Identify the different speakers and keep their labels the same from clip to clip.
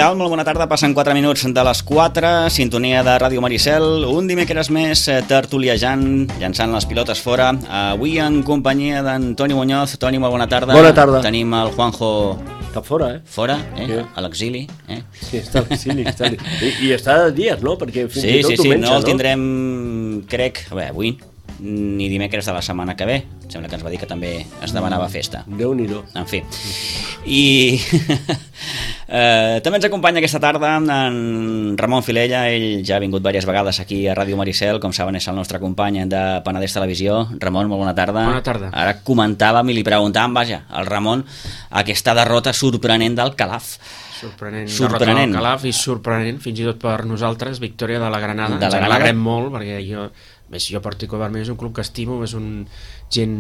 Speaker 1: tal? Molt bona tarda, passen 4 minuts de les 4, sintonia de Ràdio Maricel, un dimecres més tertuliejant, llançant les pilotes fora, avui en companyia d'en Toni Muñoz. Toni, molt bona tarda.
Speaker 2: Bona tarda.
Speaker 1: Tenim el Juanjo...
Speaker 2: Està fora,
Speaker 1: Fora,
Speaker 2: Sí.
Speaker 1: A l'exili.
Speaker 2: Sí, està a l'exili. I està de dies, no? Perquè fins i tot
Speaker 1: Sí,
Speaker 2: menja,
Speaker 1: no el tindrem, crec, avui, ni dimecres de la setmana que ve. Sembla que ens va dir que també es demanava festa.
Speaker 2: Déu-n'hi-do.
Speaker 1: En fi. I també ens acompanya aquesta tarda en Ramon Filella. Ell ja ha vingut diverses vegades aquí a Ràdio Maricel, com saben és el nostre company de Penedès Televisió. Ramon, molt bona tarda.
Speaker 2: Bona tarda.
Speaker 1: Ara comentàvem i li preguntàvem, vaja, al Ramon, aquesta derrota sorprenent del Calaf.
Speaker 3: Sorprenent. Derrota del Calaf i sorprenent, fins i tot per nosaltres, victòria de la Granada. Ens alegrem molt, perquè jo particularment és un club que estimo, és un gent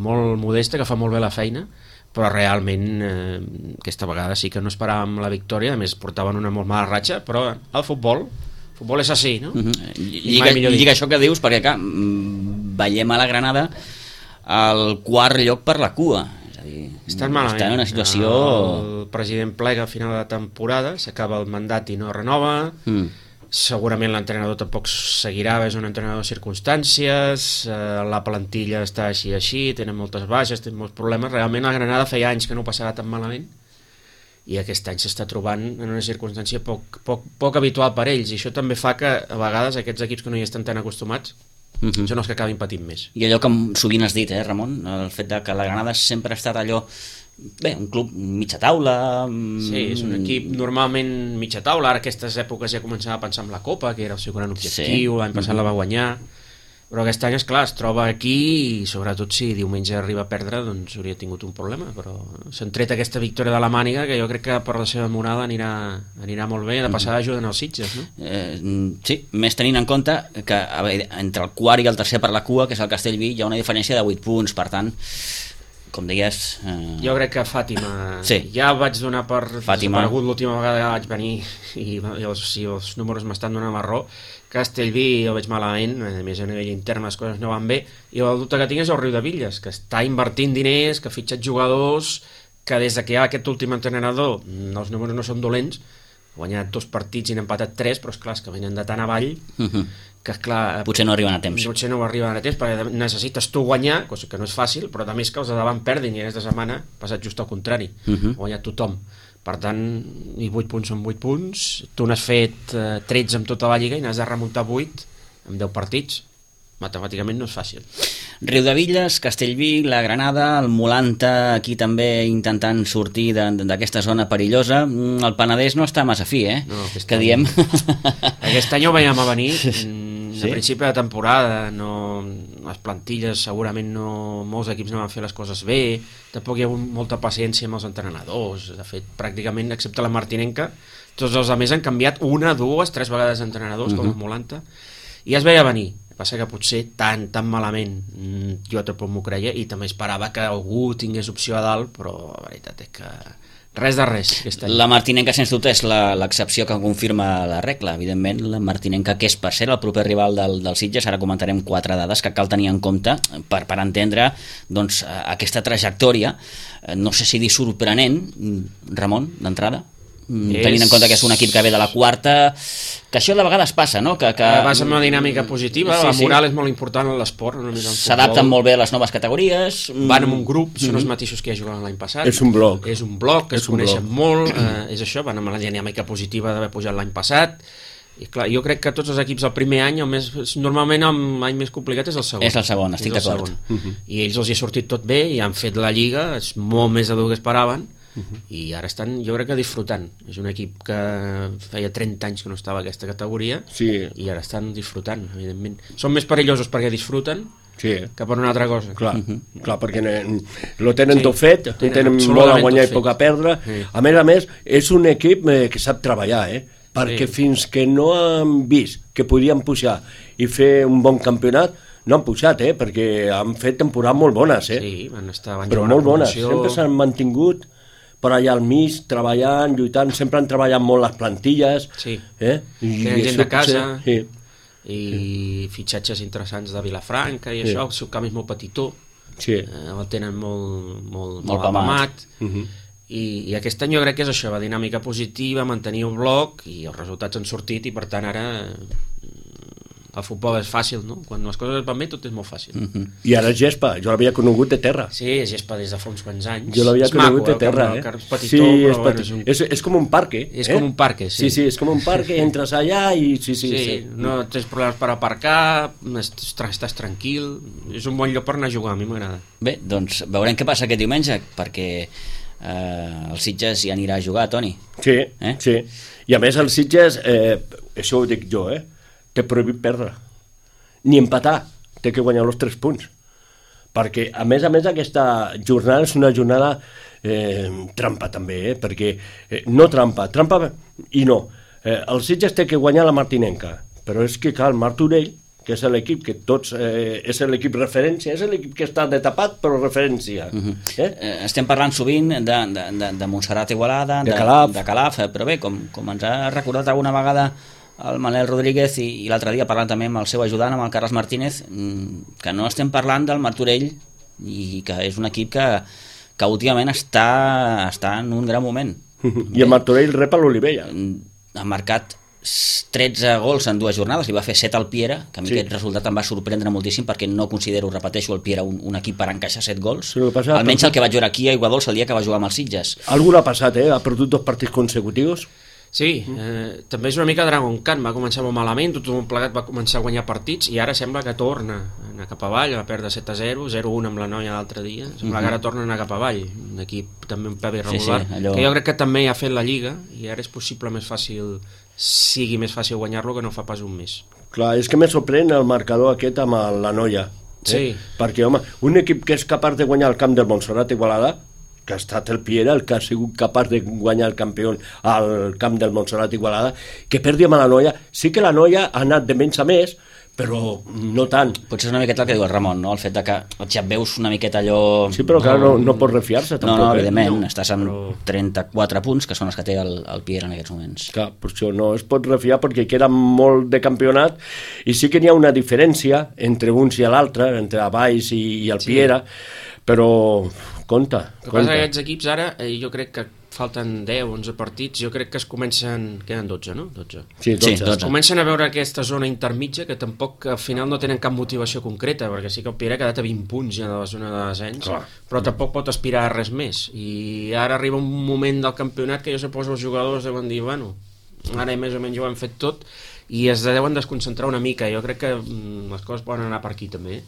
Speaker 3: molt modesta, que fa molt bé la feina, però realment aquesta vegada sí que no esperàvem la victòria. A més portaven una molt mala ratxa, però el futbol és així, no?
Speaker 1: Lliga això que dius, perquè clar, veiem a la Granada al quart lloc per la cua. És a dir,
Speaker 3: estan malament.
Speaker 1: Està en una situació...
Speaker 3: El president plega a final de temporada, s'acaba el mandat i no renova. Segurament l'entrenador tampoc seguirà, és un entrenador de circumstàncies, la plantilla està així, tenen moltes baixes, tenen molts problemes. Realment la Granada feia anys que no passava tan malament i aquest any s'està trobant en una circumstància poc habitual per ells, i això també fa que a vegades aquests equips que no hi estan tan acostumats són els que acabin patint més.
Speaker 1: I allò que sovint has dit, Ramon, el fet de que la Granada sempre ha estat allò, bé, un club mitja taula...
Speaker 3: Sí, és un equip normalment mitja taula. Ara aquestes èpoques ja començava a pensar en la Copa, que era el seu gran objectiu, l'any passat la va guanyar, però aquest any, esclar, es troba aquí i sobretot si diumenge arriba a perdre, doncs hauria tingut un problema, però s'han tret aquesta victòria de la màniga, que jo crec que per la seva morada anirà molt bé. De passada ajuden els Sitges, no?
Speaker 1: Sí, més tenint en compte que entre el quart i el tercer per la cua, que és el Castellví, hi ha una diferència de 8 punts, per tant, com deies...
Speaker 3: Jo crec que Fàtima...
Speaker 1: Sí.
Speaker 3: Ja vaig donar per
Speaker 1: desaparegut
Speaker 3: l'última vegada que vaig venir i els números m'estan donant marró. Castellví el veig malament, a més a nivell intern les coses no van bé, i el dubte que tinc és el Riudevilles, que està invertint diners, que ha fitxat jugadors, que des que hi ha aquest últim entrenador els números no són dolents, ha guanyat 2 partits i n'ha empatat 3, però esclar, és que venen de tan avall que esclar...
Speaker 1: Potser no arriben a temps.
Speaker 3: Potser no arriben a temps, perquè necessites tu guanyar, cosa que no és fàcil, però també és que els de davant perdin, i aquesta setmana ha passat just al contrari, ha guanyat tothom. Per tant, i 8 punts són 8 punts, tu n'has fet 13 amb tota la Lliga i n'has de remuntar 8 amb 10 partits. Matemàticament no és fàcil.
Speaker 1: Riudevilles, Castellví, la Granada, el Molanta aquí també intentant sortir d'aquesta zona perillosa. El Penedès no està massa fi,
Speaker 3: No,
Speaker 1: que diem.
Speaker 3: Aquest any ho veiem a venir.
Speaker 1: Sí?
Speaker 3: A principi de temporada les plantilles segurament molts equips no van fer les coses bé, tampoc hi ha hagut molta paciència amb els entrenadors. De fet, pràcticament, excepte la Martinenca, tots els altres han canviat 1, 2, 3 vegades d'entrenadors, com el Molanta, i es veia venir. Passa que potser tan malament jo tampoc m'ho creia, i també esperava que algú tingués opció a dalt, però la veritat és que res de res aquest any.
Speaker 1: La Martinenca, sens dubte, és l'excepció que confirma la regla. Evidentment, la Martinenca, que és per ser el proper rival del Sitges, ara comentarem 4 dades que cal tenir en compte per entendre doncs, aquesta trajectòria. No sé si dir sorprenent, Ramon, d'entrada, tenint en compte que és un equip que ve de la quarta, que això de vegades passa, no? Que
Speaker 3: vas amb una dinàmica positiva, la moral és molt important en l'esport.
Speaker 1: S'adapten molt bé a les noves categories,
Speaker 3: van en un grup, són els mateixos que ja jugaven l'any passat,
Speaker 2: és un bloc,
Speaker 3: es coneixen molt, és això, van amb la dinàmica positiva d'haver pujat l'any passat. I clar, jo crec que tots els equips el primer any, normalment l'any més complicat és el segon.
Speaker 1: És el segon, estic d'acord.
Speaker 3: I ells els hi ha sortit tot bé i han fet la Lliga, és molt més de dur que esperaven, i ara estan, jo crec que disfrutant. És un equip que feia 30 anys que no estava a aquesta categoria, i ara estan disfrutant, evidentment. Són més perillosos perquè disfruten que per una altra cosa.
Speaker 2: Clar, perquè lo tenen tot fet, tenen molt a guanyar i poc a perdre. A més, és un equip que sap treballar, perquè fins que no han vist que podien pujar i fer un bon campionat, no han pujat, perquè han fet temporades molt bones,
Speaker 3: van estar
Speaker 2: però molt bones, sempre s'han mantingut per allà al mig, treballant, lluitant, sempre han treballat molt les plantilles.
Speaker 3: Tenen gent de casa, i fitxatges interessants de Vilafranca i el seu camp és molt petitó, el tenen molt apamat, i aquest any jo crec que és això, la dinàmica positiva, mantenir el bloc, i els resultats han sortit, i per tant ara el futbol és fàcil, no? Quan les coses van bé tot és molt fàcil.
Speaker 2: I ara gespa, jo l'havia conegut de terra.
Speaker 3: Sí, gespa des de fa uns quants anys.
Speaker 2: Jo l'havia conegut de terra,
Speaker 3: petitó,
Speaker 2: sí, és com un parque.
Speaker 3: És com un parque, sí.
Speaker 2: Sí, és com un parque, entres allà i sí.
Speaker 3: No tens problemes per aparcar, estàs tranquil, és un bon lloc per anar a jugar, a mi m'agrada.
Speaker 1: Bé, doncs veurem què passa aquest diumenge, perquè el Sitges hi anirà a jugar, Toni.
Speaker 2: Sí. I a més el Sitges, això ho dic jo, té prohibit perdre, ni empatar, té que guanyar els 3 punts, perquè a més aquesta jornada és una jornada trampa també, perquè no trampa i no, el Sitges té que guanyar la Martinenca, però és que clar, el Martorell, que és l'equip que tots és l'equip referència, és l'equip que està de tapat però referència.
Speaker 1: Estem parlant sovint de Montserrat Igualada, de Calaf, però bé, com ens ha recordat alguna vegada el Manel Rodríguez i l'altre dia parlant també amb el seu ajudant, amb el Carles Martínez, que no estem parlant del Martorell, i que és un equip que últimament està en un gran moment.
Speaker 2: I el Martorell rep a l'Olivella.
Speaker 1: Ha marcat 13 gols en 2 jornades, li va fer 7 al Piera, que a mi aquest resultat em va sorprendre moltíssim, perquè no considero, repeteixo, el Piera un equip per encaixar 7 gols, almenys el que vaig veure aquí a Iguadols el dia que va jugar amb els Sitges.
Speaker 2: Algú l'ha passat, ha perdut 2 partits consecutius.
Speaker 3: Sí, també és una mica Dragon Khan, va començar molt malament, tothom plegat va començar a guanyar partits i ara sembla que torna a anar cap avall, va perdre 7-0, 0-1 amb la Noia l'altre dia, sembla que ara torna a anar cap avall, un equip també un peu irregular, que jo crec que també ha fet la Lliga i ara és possible sigui més fàcil guanyar-lo que no fa pas un mes.
Speaker 2: Clar, és que me sorprèn el marcador aquest amb la Noia, perquè home, un equip que és capaç de guanyar el camp del Montserrat Igualada, que ha estat el Piera el que ha sigut capaç de guanyar el campió al camp del Montserrat Igualada, que perdi amb la Noia. Sí que la Noia ha anat de menys a més, però no tant.
Speaker 1: Potser és una miqueta el que diu el Ramon, no? El fet de que ja veus una miqueta allò...
Speaker 2: Sí, però clar, no pots refiar-se tampoc.
Speaker 1: No, evidentment, estàs amb 34 punts, que són els que té el Piera en aquests moments.
Speaker 2: Clar, per això no es pot refiar perquè queda molt de campionat i sí que n'hi ha una diferència entre uns i l'altre, entre Valls i el Piera, però compte.
Speaker 3: El que passa que aquests equips ara, jo crec que falten 10 o 11 partits, jo crec que es comencen... Queden 12, no? 12.
Speaker 2: Sí, 12.
Speaker 3: Es comencen a veure aquesta zona intermitja que tampoc al final no tenen cap motivació concreta, perquè sí que el Piera ha quedat a 20 punts ja de la zona de descens, però tampoc pot aspirar a res més. I ara arriba un moment del campionat que jo suposo els jugadors deuen dir, bueno, ara més o menys ho hem fet tot, i es deuen desconcentrar una mica. Jo crec que les coses poden anar per aquí també.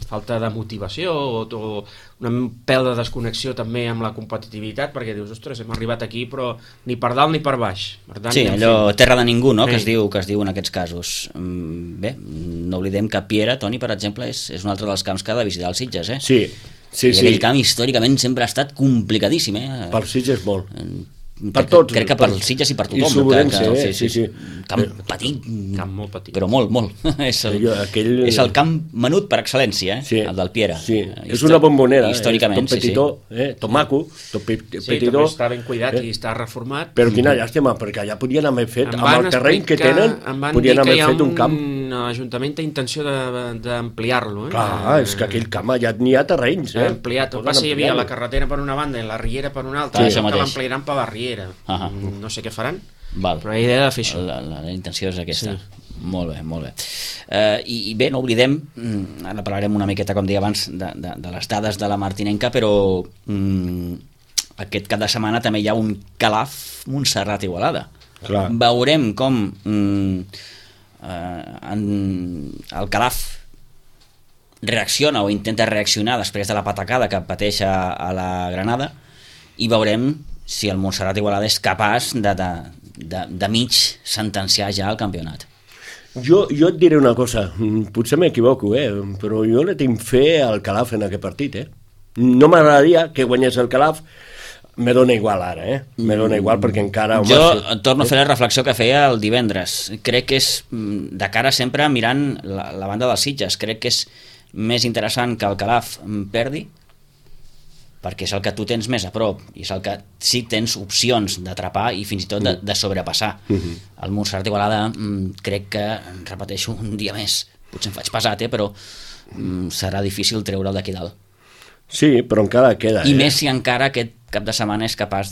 Speaker 3: Falta de motivació o un pèl de desconnexió també amb la competitivitat, perquè dius, ostres, hem arribat aquí però ni per dalt ni per baix. Per tant,
Speaker 1: sí, allò terra de ningú, no? Que es diu en aquests casos. Bé, no oblidem que Piera, Toni, per exemple, és un altre dels camps que ha de visitar els Sitges,
Speaker 2: Sí.
Speaker 1: I aquell camp històricament sempre ha estat complicadíssim,
Speaker 2: Per Sitges molt. Per tots.
Speaker 1: Crec que per Sitges i per tothom.
Speaker 2: I Sobrense, sí.
Speaker 1: Camp petit.
Speaker 3: Camp molt petit.
Speaker 1: Però molt. És el camp menut per excel·lència, el del Piera.
Speaker 2: Sí, és una bombonera.
Speaker 1: Històricament,
Speaker 2: tot petitó, tot maco, tot petitó.
Speaker 3: Sí, també està ben cuidat i està reformat.
Speaker 2: Però quina llàstima, perquè allà podien haver fet, amb el terreny que tenen, podien haver fet un camp.
Speaker 3: L'Ajuntament té intenció d'ampliar-lo.
Speaker 2: Clar, és que aquell camp allà n'hi ha terrenys.
Speaker 3: Ampliat, el que passa hi havia la carretera per una banda i la riera per una altra, que l'ampliaran per la riera. No sé què faran, però la idea de fer això.
Speaker 1: La intenció és aquesta. Molt bé. I bé, no oblidem, ara parlarem una miqueta, com deia abans, de les dades de la Martinenca, però aquest cap de setmana també hi ha un Calaf Montserrat Igualada. Veurem com el Calaf reacciona o intenta reaccionar després de la patacada que pateix a la Granada, i veurem si el Montserrat Igualada és capaç de mig sentenciar ja el campionat.
Speaker 2: Jo et diré una cosa, potser m'equivoco, però jo le tinc fe al Calaf en aquest partit. No m'agradaria que guanyés el Calaf, me dona igual ara, me dona igual perquè encara...
Speaker 1: Jo torno a fer la reflexió que feia el divendres. Crec que és, de cara sempre mirant la banda dels Sitges, crec que és més interessant que el Calaf perdi, perquè és el que tu tens més a prop i és el que sí tens opcions d'atrapar i fins i tot de sobrepassar. El Montserrat Igualada crec que, repeteixo un dia més, potser em faig pesat, però serà difícil treure'l d'aquí dalt.
Speaker 2: Sí, però encara queda.
Speaker 1: I més si encara aquest cap de setmana és capaç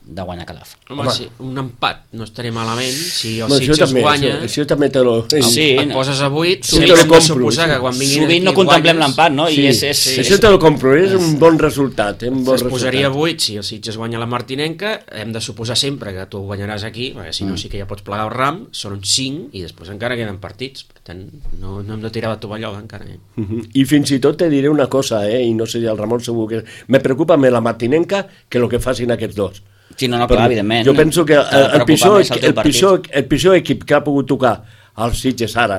Speaker 1: de guanyar Calaf.
Speaker 3: Home, sí, un empat no estaria malament. Si el Sitges guanya,
Speaker 2: això també te lo...
Speaker 3: et poses a 8,
Speaker 2: sí, hem de
Speaker 3: suposar que quan vinguin
Speaker 1: sovint no contemplem l'empat, no?
Speaker 2: Sí, això te lo compro, és un bon resultat.
Speaker 3: Es posaria 8 si el Sitges guanya la Martinenca, hem de suposar sempre que tu guanyaràs aquí, perquè si no sí que ja pots plegar el ram, són uns 5 i després encara queden partits, per tant no hem de tirar la tovallola encara.
Speaker 2: I fins i tot te diré una cosa, i no sé si el Ramon segur que... Me preocupa més la Martinenca que el que facin aquests dos.
Speaker 1: Sí, no, clar, evidentment.
Speaker 2: Jo penso que el pitjor equip que ha pogut tocar els Sitges ara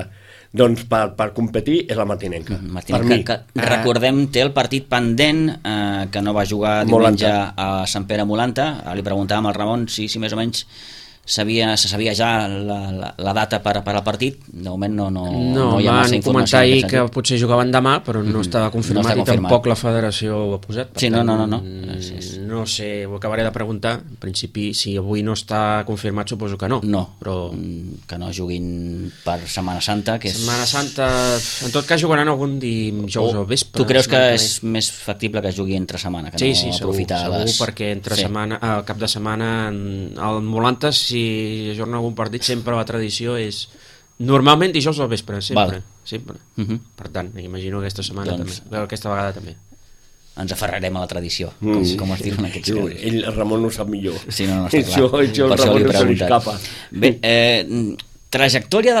Speaker 2: doncs per competir és la Martinenca.
Speaker 1: Martinenca, que recordem, té el partit pendent que no va jugar diumenge a Sant Pere Molanta. Li preguntàvem al Ramon si més o menys se sabia ja la data per al partit. De moment no hi ha massa informació.
Speaker 3: Van comentar ahir que potser jugaven demà, però no estava confirmat, i tampoc la federació ho ha posat.
Speaker 1: Sí, no.
Speaker 3: No sé, ho acabaré de preguntar. En principi, si avui no està confirmat, suposo que no.
Speaker 1: No, però que no juguin per Setmana Santa, que és...
Speaker 3: Setmana Santa, en tot cas jugaran algun dijous al vespre.
Speaker 1: Tu creus que és més factible que jugui entre setmana, que no aprofitar
Speaker 3: segur, perquè entre setmana, al cap de setmana, al Molanta, si ajorna algun partit, sempre la tradició és normalment dijous al vespre, sempre. Per tant, imagino aquesta setmana també, aquesta vegada també.
Speaker 1: Ens aferrarem a la tradició, com es diuen aquests casos.
Speaker 2: El Ramon ho sap millor.
Speaker 1: Sí, no està clar.
Speaker 2: Això el Ramon no se li escapa.
Speaker 1: Bé, trajectòria de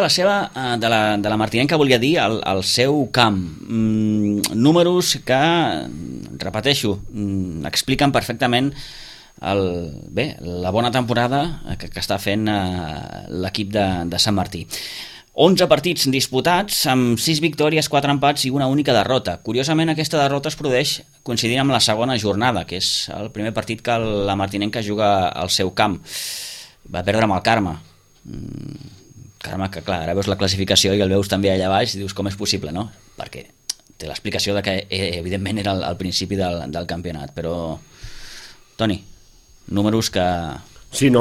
Speaker 1: la Martinenca, volia dir, al seu camp. Números que, repeteixo, expliquen perfectament la bona temporada que està fent l'equip de Sant Martí. 11 partits disputats, amb 6 victòries, 4 empats i una única derrota. Curiosament, aquesta derrota es produeix coincidint amb la segona jornada, que és el primer partit que la Martinenca juga al seu camp. Va perdre amb el Carme. Carme, que clar, ara veus la classificació i el veus també allà baix i dius com és possible, no? Perquè té l'explicació de que evidentment era al principi del campionat, però Toni, números que
Speaker 2: són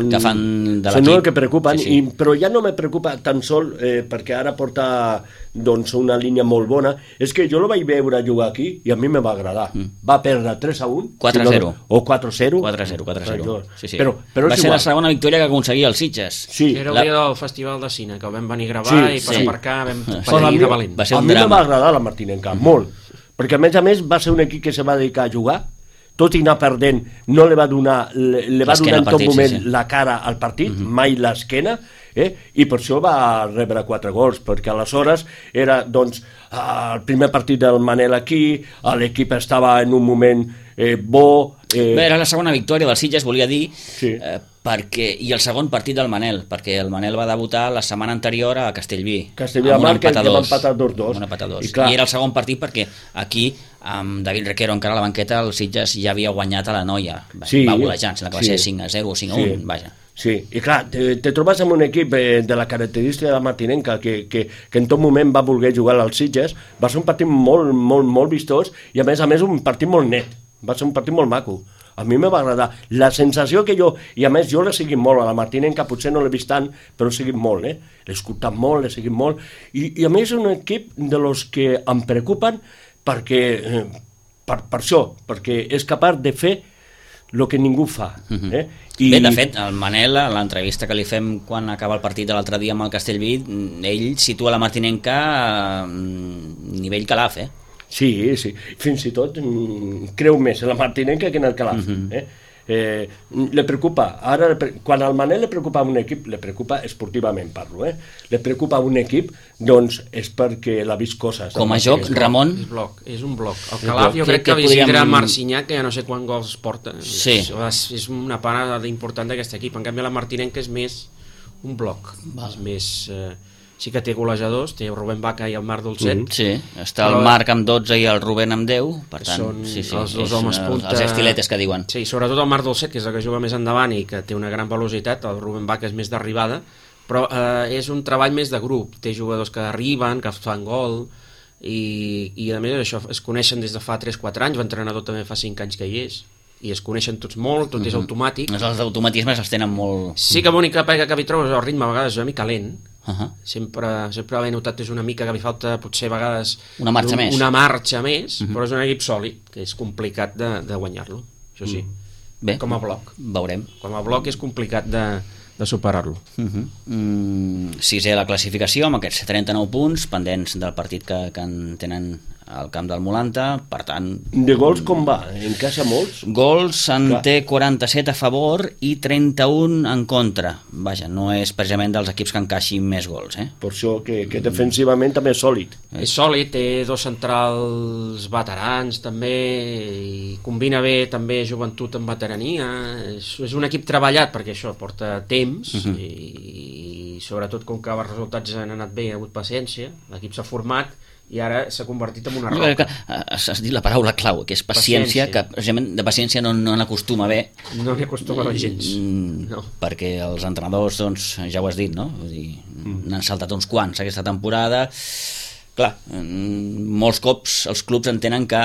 Speaker 2: el que preocupen, però ja no me preocupa tan sol perquè ara porta una línia molt bona. És que jo lo vaig veure jugar aquí i a mi me va agradar. Va perdre 3-1
Speaker 1: 4-0
Speaker 2: o 4-0
Speaker 1: sí. Però va ser la segona victòria que aconseguia el Sitges.
Speaker 3: Era el dia del Festival de Cine, que vam venir a gravar i per aparcar vam patir de valent.
Speaker 2: A mi me va agradar la Martinenca, molt, perquè a més va ser un equip que se va dedicar a jugar, tot i anar perdent, no li va donar en tot moment la cara al partit, mai l'esquena, i per això va rebre 4 gols, perquè aleshores era el primer partit del Manel aquí, l'equip estava en un moment bo...
Speaker 1: Bé, era la segona victòria del Sitges, volia dir, i el segon partit del Manel, perquè el Manel va debutar la setmana anterior a Castellví.
Speaker 2: Castellví de Mar, que va empatar 2-2.
Speaker 1: I era el segon partit perquè aquí, amb David Requero encara a la banqueta, el Sitges ja havia guanyat a la Noia. Va golejant, sembla que va ser 5-0 o 5-1, vaja.
Speaker 2: Sí, i clar, te trobes amb un equip de la característica de la Martinenca que en tot moment va voler jugar als Sitges. Va ser un partit molt, molt, molt vistós i a més un partit molt net. Va ser un partit molt maco. A mi me va agradar. La sensació que i a més jo l'he seguit molt, a la Martinenca potser no l'he vist tant, però l'he seguit molt, l'he escoltat molt, l'he seguit molt, i a més és un equip de los que em preocupen perquè, per això, perquè és capaç de fer el que ningú fa.
Speaker 1: Bé, de fet, el Manel, a l'entrevista que li fem quan acaba el partit de l'altre dia amb el Castellví, ell situa la Martinenca a nivell Calaf,
Speaker 2: Sí, fins i tot creu més en la Martinenca que en el Calaf. Le preocupa, ara quan al Manel le preocupa un equip, le preocupa esportivament, parlo, le preocupa un equip, doncs és perquè l'ha vist coses.
Speaker 1: Com a joc, Ramon?
Speaker 3: És un bloc. El Calaf jo crec que visitarà Marcinyac, que ja no sé quant gols porta. És una part important d'aquest equip. En canvi la Martinenca és més un bloc. És més... Sí que té golejadors, té el Rubén Vaca i el Marc Dolcet.
Speaker 1: Sí, està el Marc amb 12 i el Rubén amb 10, per tant,
Speaker 3: són els dos homes punta.
Speaker 1: Els estiletes que diuen.
Speaker 3: Sí, sobretot el Marc Dolcet, que és el que juga més endavant i que té una gran velocitat, el Rubén Vaca és més d'arribada, però és un treball més de grup, té jugadors que arriben, que fan gol, i a més això es coneixen des de fa 3-4 anys, l'entrenador també fa 5 anys que hi és, i es coneixen tots molt, tot és automàtic.
Speaker 1: Els automatismes els tenen molt...
Speaker 3: Sí que l'única pega que hi trobes el ritme a vegades és una mica lent, sempre l'he notat, és una mica que li falta potser a vegades
Speaker 1: una marxa més,
Speaker 3: però és un equip sòlid, que és complicat de guanyar-lo. això sí.
Speaker 1: Bé,
Speaker 3: com a bloc.
Speaker 1: Veurem.
Speaker 3: Com a bloc és complicat de superar-lo.
Speaker 1: Sisè a la classificació, amb aquests 39 punts, pendents del partit que en tenen al camp del Molanta, per tant...
Speaker 2: De gols com va? Encaixa molts?
Speaker 1: Gols en té 47 a favor i 31 en contra. Vaja, no és precisament dels equips que encaixin més gols,
Speaker 2: Per això que defensivament també és sòlid.
Speaker 3: És sòlid, té dos centrals veterans també, i combina bé també joventut amb veterania. És un equip treballat, perquè això porta temps, i sobretot com que els resultats han anat bé, ha hagut paciència, l'equip s'ha format, i ara s'ha convertit en una roca.
Speaker 1: Has dit la paraula clau, que és paciència, que de paciència no n'acostuma bé.
Speaker 3: No n'hi acostuma gens. No.
Speaker 1: Perquè els entrenadors, doncs, ja ho has dit, no? Vull dir, n'han saltat uns quants aquesta temporada. Clar, molts cops els clubs entenen que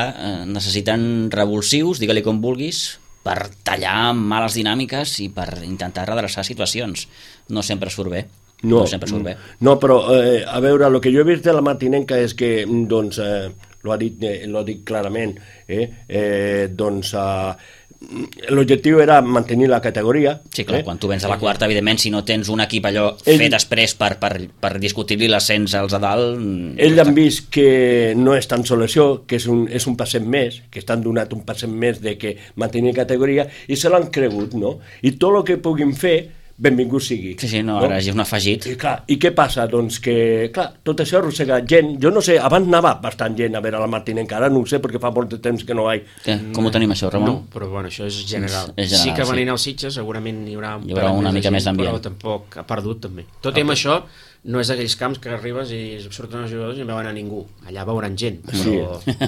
Speaker 1: necessiten revulsius, digue-li com vulguis, per tallar males dinàmiques i per intentar redreçar situacions. No sempre surt bé. No
Speaker 2: però a veure, el que jo he vist de la Martinenca és que, doncs, lo dic clarament, doncs l'objectiu era mantenir la categoria.
Speaker 1: Sí, clar, quan tu vens a la quarta, evidentment, si no tens un equip allò fet després per discutir-li l'ascens als de dalt...
Speaker 2: Ells han vist que no és tan sols això, que és un passet més, que estan donat un passet més de que mantenir categoria, i se l'han cregut, no? I tot el que puguin fer, benvingut sigui.
Speaker 1: Sí, ara és un afegit.
Speaker 2: I què passa? Doncs que, clar, tot això arrossega gent. Jo no sé, abans anava bastant gent a veure la Martinenca, ara no ho sé perquè fa molt de temps que no hi ha.
Speaker 1: Com ho tenim això, Ramon?
Speaker 3: No, però bueno, això és general.
Speaker 1: Sí
Speaker 3: que venint als Sitges segurament hi haurà
Speaker 1: una mica més d'ambient.
Speaker 3: Però tampoc ha perdut també. Tot i amb això, no és d'aquells camps que arribes i surten els jugadors i no veuen a ningú. Allà veuran gent, però...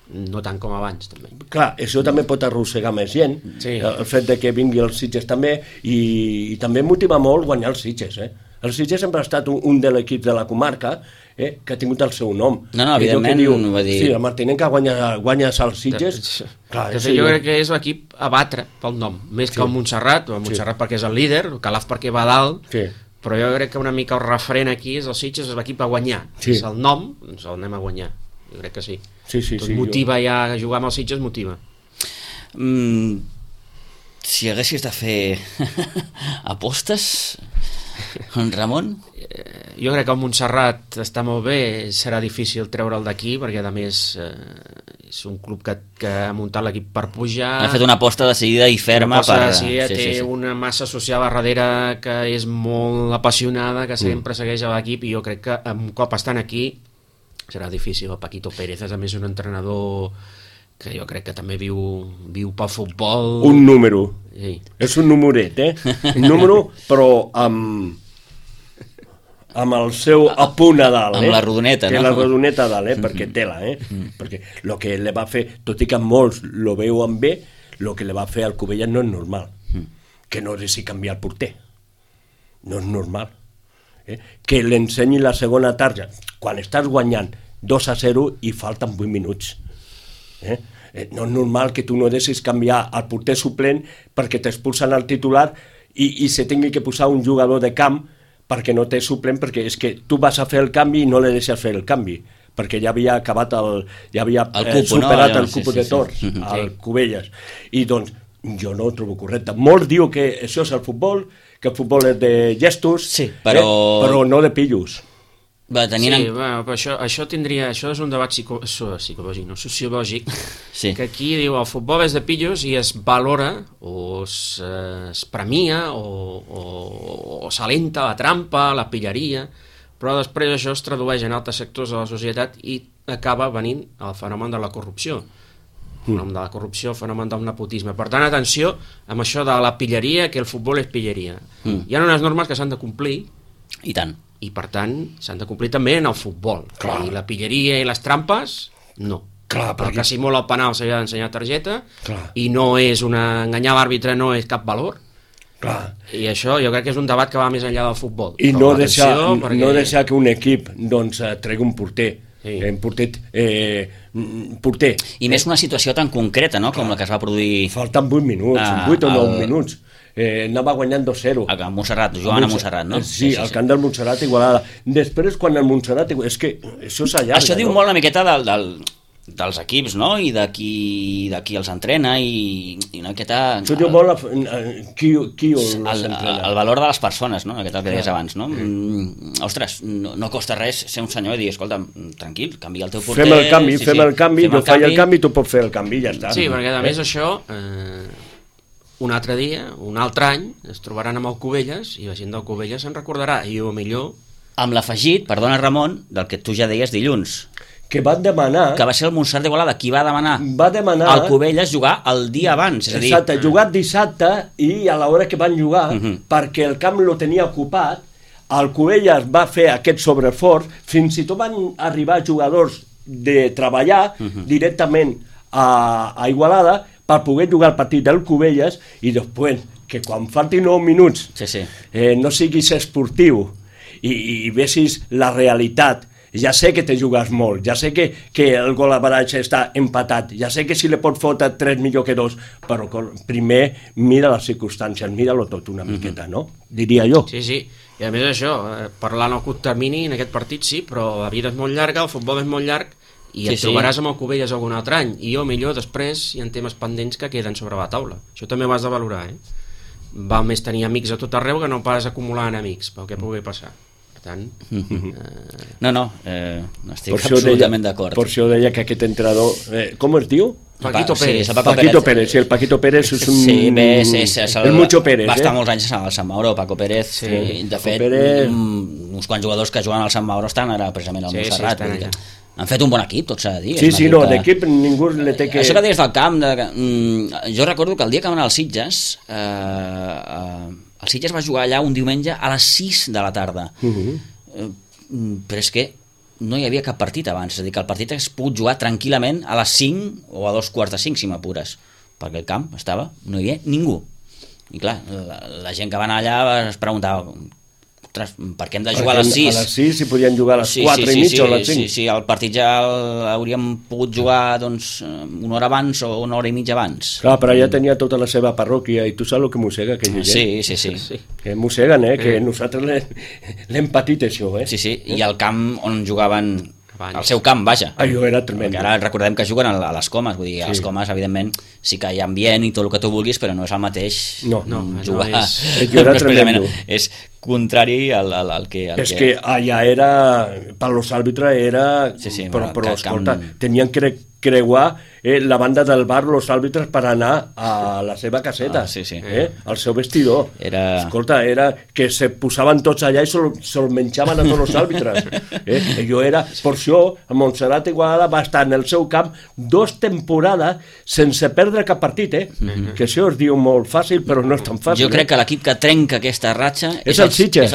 Speaker 3: no tant com abans també.
Speaker 2: Clar, això també pot arrossegar més gent, el fet de que vingui els Sitges també, i també motiva molt guanyar els Sitges. El Sitges sempre ha estat un de l'equip de la comarca que ha tingut el seu nom.
Speaker 1: No, evidentment,
Speaker 2: va dir... Sí, la Martinenca guanyes als Sitges.
Speaker 3: Clar, jo crec que és l'equip a batre pel nom, més que el Montserrat, perquè és el líder, el Calaf perquè va dalt, però jo crec que una mica el referent aquí és el Sitges, és l'equip a guanyar. És el nom, doncs el anem a guanyar. Jo crec que sí. Motiva ja, jugar amb els Sitges motiva.
Speaker 1: Si haguessis de fer apostes, Ramon?
Speaker 3: Jo crec que el Montserrat està molt bé, serà difícil treure'l d'aquí, perquè a més és un club que ha muntat l'equip per pujar.
Speaker 1: Ha fet una aposta decidida i ferma.
Speaker 3: Té una massa social a darrere que és molt apassionada, que sempre segueix a l'equip, i jo crec que un cop estan aquí serà difícil. El Paquito Pérez és a més un entrenador que jo crec que també viu pel futbol.
Speaker 2: Un número. Sí. És un numeret, un número, però amb el seu apunt a dalt.
Speaker 1: Amb la rodoneta, no?
Speaker 2: La rodoneta a dalt, perquè tela, perquè el que le va fer, tot i que molts lo veuen bé, el que le va fer al Cubelles no és normal. Que no deixi canviar el porter. No és normal. Que l'ensenyi la segona tarja quan estàs guanyant 2-0 i falten 8 minuts. No és normal que tu no deixis canviar el porter suplent perquè t'expulsen el titular i se tingui que posar un jugador de camp perquè no té suplent, perquè és que tu vas a fer el canvi i no le deixes fer el canvi, perquè ja havia acabat superat el cupo de torns al Cubelles. I doncs jo no ho trobo correcte. Molts diuen que això és el futbol, que el futbol és de gestos, però no de pillos.
Speaker 3: Però això és un debat psicològic, no sociològic, que aquí diu el futbol és de pillos i es valora o es premia o s'alenta la trampa, la pilleria, però després això es tradueix en altres sectors de la societat i acaba venint el fenomen de la corrupció. El fenomen de la corrupció, el fenomen del nepotisme. Per tant, atenció amb això de la pilleria, que el futbol és pilleria. Hi ha unes normes que s'han de complir.
Speaker 1: I tant.
Speaker 3: I per tant s'han de complir també en el futbol. I la pilleria i les trampes, no. El que simula el penal s'ha d'ensenyar targeta i no és enganyar l'àrbitre, no és cap valor. I això jo crec que és un debat que va més enllà del futbol.
Speaker 2: I no deixar que un equip tregui un porter. Porter.
Speaker 1: I més una situació tan concreta, no?, com la que es va produir.
Speaker 2: Falten 8 minuts, 8 o 9 minuts. Anava guanyant 2-0.
Speaker 1: A Montserrat, jugant a Montserrat, no?
Speaker 2: Sí, al camp del Montserrat, Igualada. Després, quan el Montserrat... És que això s'allarga.
Speaker 1: Això diu molt una miqueta dels equips, no? I de qui els entrena i una miqueta...
Speaker 2: Això diu molt qui els entrena.
Speaker 1: El valor de les persones, no? Aquest el que deies abans, no? Ostres, no costa res ser un senyor i dir, escolta, tranquil, canvia el teu porter...
Speaker 2: Fem el canvi, jo faig el canvi i tu pots fer el canvi, ja està.
Speaker 3: Sí, perquè a més això, un altre dia, un altre any, es trobaran amb el Cubelles i la gent del Cubelles se'n recordarà, i o millor...
Speaker 1: Amb l'afegit, perdona Ramon, del que tu ja deies dilluns,
Speaker 2: que van demanar...
Speaker 1: Que va ser el Montserrat d'Igualada qui va demanar
Speaker 2: al
Speaker 1: Cubelles jugar el dia abans. És a dir...
Speaker 2: Exacte, jugat dissabte i a l'hora que van jugar, perquè el camp lo tenia ocupat, el Cubelles va fer aquest sobreesforç, fins i tot van arribar jugadors de treballar directament a Igualada per poder jugar el partit del Cubelles i després, que quan faltin 9 minuts no siguis esportiu i vessis la realitat. Ja sé que te jugues molt, ja sé que el gol average està empatat, ja sé que si le pots fotre 3 millor que 2, però primer mira les circumstàncies, mira-lo tot una miqueta, no? Diria jo.
Speaker 3: Sí, sí, i a més això, parlant al curt termini en aquest partit sí, però la vida és molt llarga, el futbol és molt llarg, i et trobaràs amb el Cubelles algun altre any, i o millor després hi ha temes pendents que queden sobre la taula. Això també ho has de valorar, Val més tenir amics a tot arreu que no pas acumular enemics, pel que pugui passar. Tant,
Speaker 1: estic absolutament d'acord.
Speaker 2: Per això deia que aquest entrenador, com es diu?
Speaker 3: Paquito Pérez.
Speaker 2: Paquito Pérez, sí, el Paquito Pérez és un...
Speaker 1: Sí, és
Speaker 2: el Mucho Pérez.
Speaker 1: Va estar molts anys al Sant Mauro, Paco Pérez. De fet, uns quants jugadors que juguen al Sant Mauro estan ara precisament al Montserrat. Han fet un bon equip, tot s'ha de dir.
Speaker 2: Sí, no, d'equip ningú le té que...
Speaker 1: Això que deies del camp, jo recordo que el dia que van anar als Sitges, el Sitges va jugar allà un diumenge a les 6 de la tarda. Però és que no hi havia cap partit abans, és a dir, que el partit hagués pogut jugar tranquil·lament a les 5 o a 2:45, si m'apures, perquè el camp no hi havia ningú. I clar, la gent que va anar allà es preguntava, per què hem de jugar a les 6?
Speaker 2: A les 6 si podien jugar a les 4 i mitja o a les 5.
Speaker 1: Sí, el partit ja hauríem pogut jugar una hora abans o una hora i mitja abans.
Speaker 2: Clar, però ja tenia tota la seva parròquia i tu saps el que mossega aquella gent?
Speaker 1: Sí.
Speaker 2: Que mosseguen, que nosaltres l'hem patit això,
Speaker 1: Sí, i el camp on jugaven... El seu camp, vaja.
Speaker 2: Allò era tremendo.
Speaker 1: Ara recordem que juguen a les Comes, vull dir, a les Comes, evidentment, sí que hi ha ambient i tot el que tu vulguis, però no és el mateix jugar.
Speaker 2: Allò era tremendo.
Speaker 1: És contrari al que...
Speaker 2: És que allà era, per los àrbitres era... Però escolta, tenien que creuar la banda del bar, los àrbitres, per anar a la seva caseta, al seu vestidor. Escolta, era que se posaven tots allà i se'l menjaven a tots els àrbitres. Allò era... Per això, el Montserrat Igualada va estar en el seu camp 2 temporades sense perdre cap partit, que això es diu molt fàcil, però no és tan fàcil.
Speaker 1: Jo crec que l'equip que trenca aquesta ratxa
Speaker 2: és el Sitges.
Speaker 1: És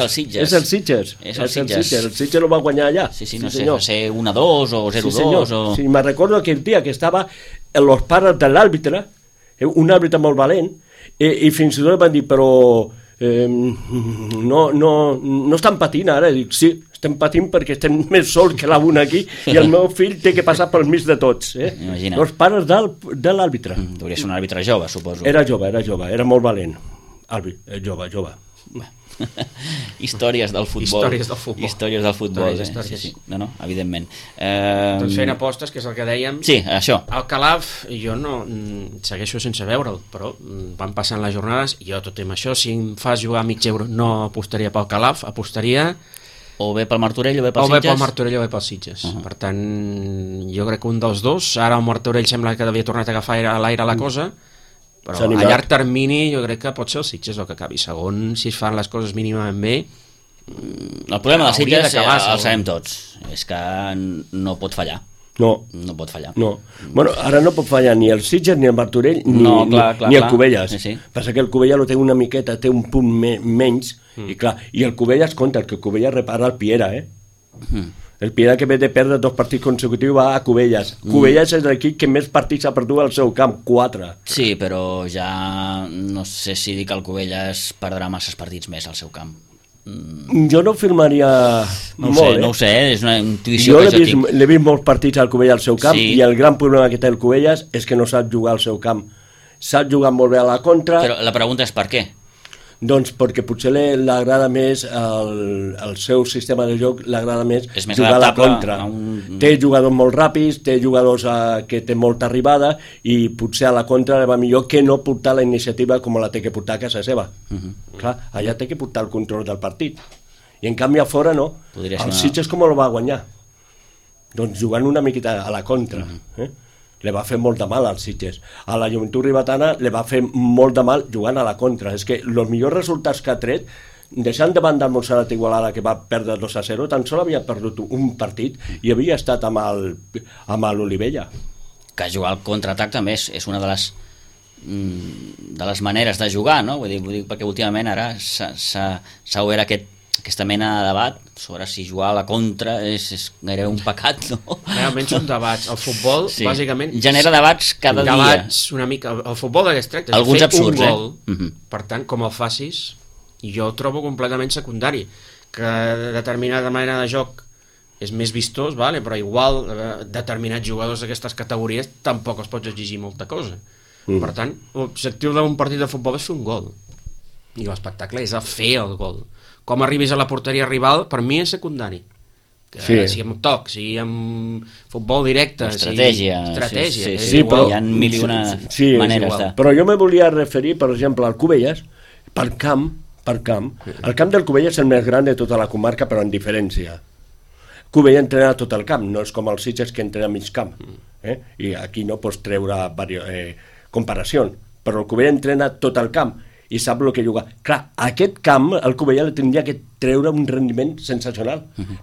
Speaker 1: el Sitges.
Speaker 2: El Sitges el va guanyar allà.
Speaker 1: No sé, va ser 1-2 o 0-2 o...
Speaker 2: Sí, me recordo aquell dia que estava en los pares de l'àrbitre, un àrbitre molt valent, i fins i tot van dir, però no estan patint ara. Dic, sí, estem patint perquè estem més sols que l'una aquí i el meu fill té que passar pel mig de tots.
Speaker 1: Imagina.
Speaker 2: Els pares de l'àrbitre.
Speaker 1: Hauria ser un àrbitre jove, suposo.
Speaker 2: Era jove, era molt valent. Jove.
Speaker 1: Històries del futbol. Sí. No, evidentment.
Speaker 3: Doncs fent apostes, que és el que dèiem.
Speaker 1: Sí, això.
Speaker 3: El Calaf, jo no segueixo sense veure'l, però van passant les jornades i jo tot amb això, si em fas jugar a mig euro, no apostaria pel Calaf, apostaria
Speaker 1: o bé pel Martorell o bé pel
Speaker 3: Sitges. O bé pel Martorell o bé pel Sitges. Per tant, jo crec que un dels dos. Ara el Martorell sembla que havia tornat a agafar a l'aire la cosa, però a llarg termini jo crec que pot ser el Sitges el que acabi segon, si es fan les coses mínimament bé.
Speaker 1: El problema del Sitges el sabem tots, és que no pot fallar.
Speaker 2: No
Speaker 1: pot fallar.
Speaker 2: Bueno, ara no pot fallar ni el Sitges, ni el Martorell, ni el Cubelles. Passa que el Cubelles lo té una miqueta, té un punt menys, i el Cubelles compta, que el Cubelles repara el Piera, El Piera, que ve de perdre 2 partits consecutius, va a Cubelles. Cubelles és l'equip que més partits ha perdut al seu camp, 4.
Speaker 1: Sí, però ja no sé si dic que el Cubelles perdrà masses partits més al seu camp.
Speaker 2: Jo no firmaria molt.
Speaker 1: No ho sé, és una intuïció que jo tinc.
Speaker 2: L'he vist molts partits al Cubelles al seu camp, i el gran problema que té el Cubelles és que no sap jugar al seu camp. Sap jugar molt bé a la contra.
Speaker 1: Però la pregunta és per què?
Speaker 2: Doncs perquè potser l'agrada més el seu sistema de joc, l'agrada més jugar a la contra. Té jugadors molt ràpids, té jugadors que té molta arribada i potser a la contra va millor que no portar la iniciativa com la té que portar a casa seva. Clar, allà té que portar el control del partit. I en canvi a fora no. El Sitges com el va guanyar? Doncs jugant una miqueta a la contra. Le va fer molt de mal als Sitges. A la Joventut Ribetana le va fer molt de mal jugant a la contra. És que els millors resultats que ha tret, deixant de banda el Montserrat Igualada, que va perdre 2-0, tan sol havia perdut un partit i havia estat amb l'Olivella.
Speaker 1: Que jugar al contraatac també és una de les maneres de jugar, no? Vull dir, perquè últimament ara s'ha obert aquesta mena de debat sobre si jugar a la contra és gairebé un pecat, no?
Speaker 3: Realment són debats. El futbol, bàsicament...
Speaker 1: genera debats cada dia.
Speaker 3: Debats una mica... El futbol d'aquest tracte és fer absurds, un gol. Per tant, com el facis, jo el trobo completament secundari. Que determinada manera de joc és més vistós, vale? Però igual determinats jugadors d'aquestes categories tampoc els pots exigir molta cosa. Per tant, l'objectiu d'un partit de futbol és fer un gol. I l'espectacle és a fer el gol. Com arribis a la porteria rival, per mi és secundari. Si amb toc, si amb futbol directe...
Speaker 1: Estratègia.
Speaker 3: Sí,
Speaker 1: però hi ha mil i una maneres de...
Speaker 2: Però jo me volia referir, per exemple, al Cubelles, per camp. El camp del Cubelles és el més gran de tota la comarca, però en diferència. Cubella entrena tot el camp, no és com els Sitges que entrena mig camp. I aquí no pots treure comparacions, però el Cubella entrena tot el camp i sap el que juga. Clar, aquest camp el Cubella tindria que treure un rendiment sensacional,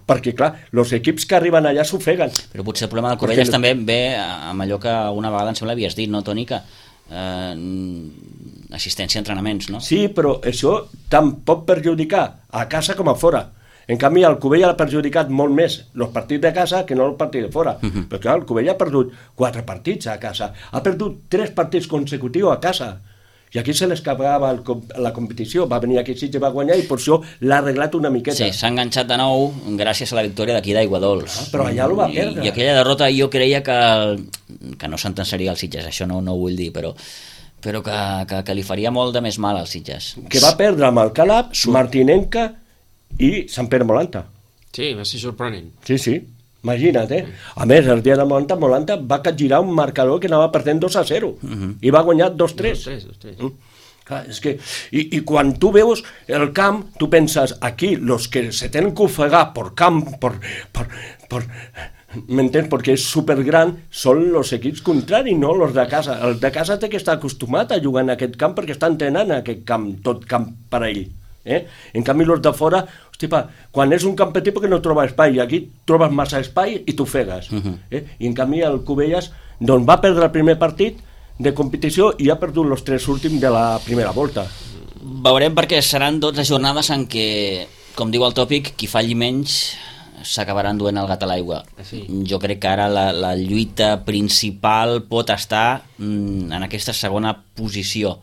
Speaker 2: perquè clar, els equips que arriben allà s'ofeguen.
Speaker 1: Però potser el problema del Cubelles també ve amb allò que una vegada em sembla havies dit, no, Toni, que assistència a entrenaments, no?
Speaker 2: Sí, però això tant pot perjudicar a casa com a fora. En canvi, el Cubella ha perjudicat molt més els partits de casa que no els partits de fora. Perquè clar, el Cubella ha perdut 4 partits a casa, ha perdut 3 partits consecutius a casa. I aquí se l'escapava la competició, va venir aquí Sitges, va guanyar i per això l'ha arreglat una miqueta.
Speaker 1: Sí, s'ha enganxat de nou gràcies a la victòria d'aquí d'Aiguadols.
Speaker 2: Però allà ho va perdre.
Speaker 1: I aquella derrota jo creia que no sentenciaria el Sitges, això no ho vull dir, però que li faria molt de més mal als Sitges.
Speaker 2: Que va perdre amb el Calab, Martinenca i Sant Pere Molanta.
Speaker 3: Sí, va ser sorprenent.
Speaker 2: Sí. Imagina't, A més, el dia de Molanta va capgirar un marcador que anava perdent 2-0 i va guanyar 2-3. Clar, és que, i quan tu veus el camp, tu penses, aquí, els que se tenen que ofegar per camp, m'entens? Perquè és supergran, són els equips contraris, no els de casa. El de casa té que estar acostumat a jugar en aquest camp perquè està entrenant en aquest camp, tot camp per a ell. En canvi, els de fora, quan és un camp petit perquè no troba espai, i aquí trobes massa espai i t'ofegues. I en canvi el Cubelles doncs, va perdre el primer partit de competició i ha perdut els 3 últims de la primera volta.
Speaker 1: Veurem, perquè seran 12 jornades en què, com diu el tòpic, qui falli menys s'acabarà enduent el gat a l'aigua. Jo crec que ara la lluita principal pot estar en aquesta segona posició.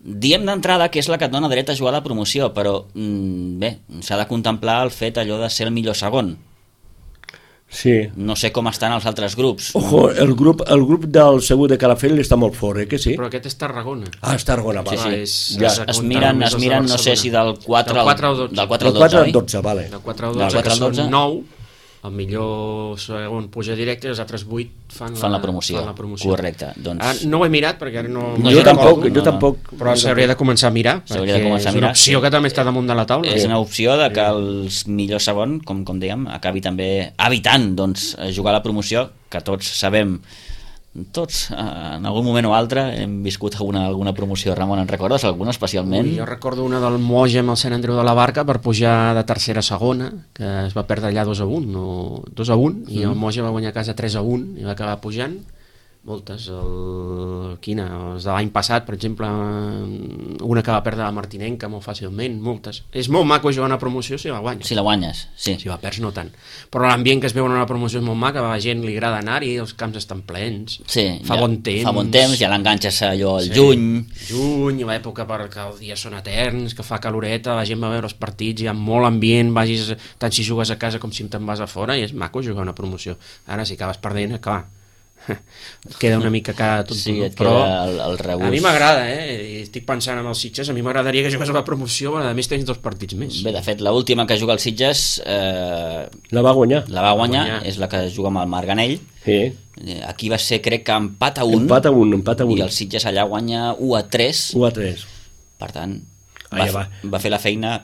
Speaker 1: Diem d'entrada que és la que et dona dret a jugar a la promoció, però bé, s'ha de contemplar el fet allò de ser el millor segon.
Speaker 2: Sí.
Speaker 1: No sé com estan els altres grups.
Speaker 2: Ojo, el grup del Segur de Calafell està molt fort, que sí?
Speaker 3: Però aquest és Tarragona.
Speaker 2: Ah, és Tarragona,
Speaker 1: vale. Sí. Es miren, no sé si del 4 al 12.
Speaker 2: Del 4 al 12, vale.
Speaker 3: Del 4 al 12, que són 9, el millor segon puja directe i els altres 8 fan la promoció.
Speaker 1: Correcte. Doncs...
Speaker 3: no ho he mirat perquè ara no...
Speaker 2: Jo tampoc.
Speaker 3: Però s'hauria de començar a mirar, perquè és una opció que també està damunt de la taula.
Speaker 1: És una opció de que els millors segon, com dèiem, acabi també evitant jugar a la promoció, que tots sabem... Tots, en algun moment o altre, hem viscut alguna promoció. Ramon, en recordes alguna especialment?
Speaker 3: Jo recordo una del Moja amb el Sant Andreu de la Barca per pujar de tercera a segona, que es va perdre allà 2-1, i el Moja va guanyar a casa 3-1 i va acabar pujant. Moltes, els de l'any passat, per exemple, una que va perdre la Martinenca molt fàcilment, moltes. És molt maco jugar una promoció si la guanyes.
Speaker 1: Si la guanyes, sí.
Speaker 3: Si la perds no tant. Però l'ambient que es veu en una promoció és molt maca, a la gent li agrada anar-hi, els camps estan plens, fa bon temps,
Speaker 1: ja l'enganxes allò al juny,
Speaker 3: l'època perquè els dies són eterns, que fa caloreta, la gent va veure els partits, hi ha molt ambient, vagis tant si jugues a casa com si te'n vas a fora, i és maco jugar una promoció. Ara, si acabes perdent, clar, queda una mica cada tot,
Speaker 1: sí,
Speaker 3: però
Speaker 1: el rebús.
Speaker 3: A mi m'agrada, I estic pensant en els Sitges, a mi m'agradaria que jugués a la promoció, a més tens 2 partits més.
Speaker 1: Bé, de fet, l'última que juga el Sitges
Speaker 2: la va guanyar.
Speaker 1: És la que juga amb el Marganell.
Speaker 2: Sí.
Speaker 1: Aquí va ser, crec que empat a 1.
Speaker 2: Empat a 1.
Speaker 1: I el Sitges allà guanya 1-3.
Speaker 2: 1-3.
Speaker 1: Per tant, va fer la feina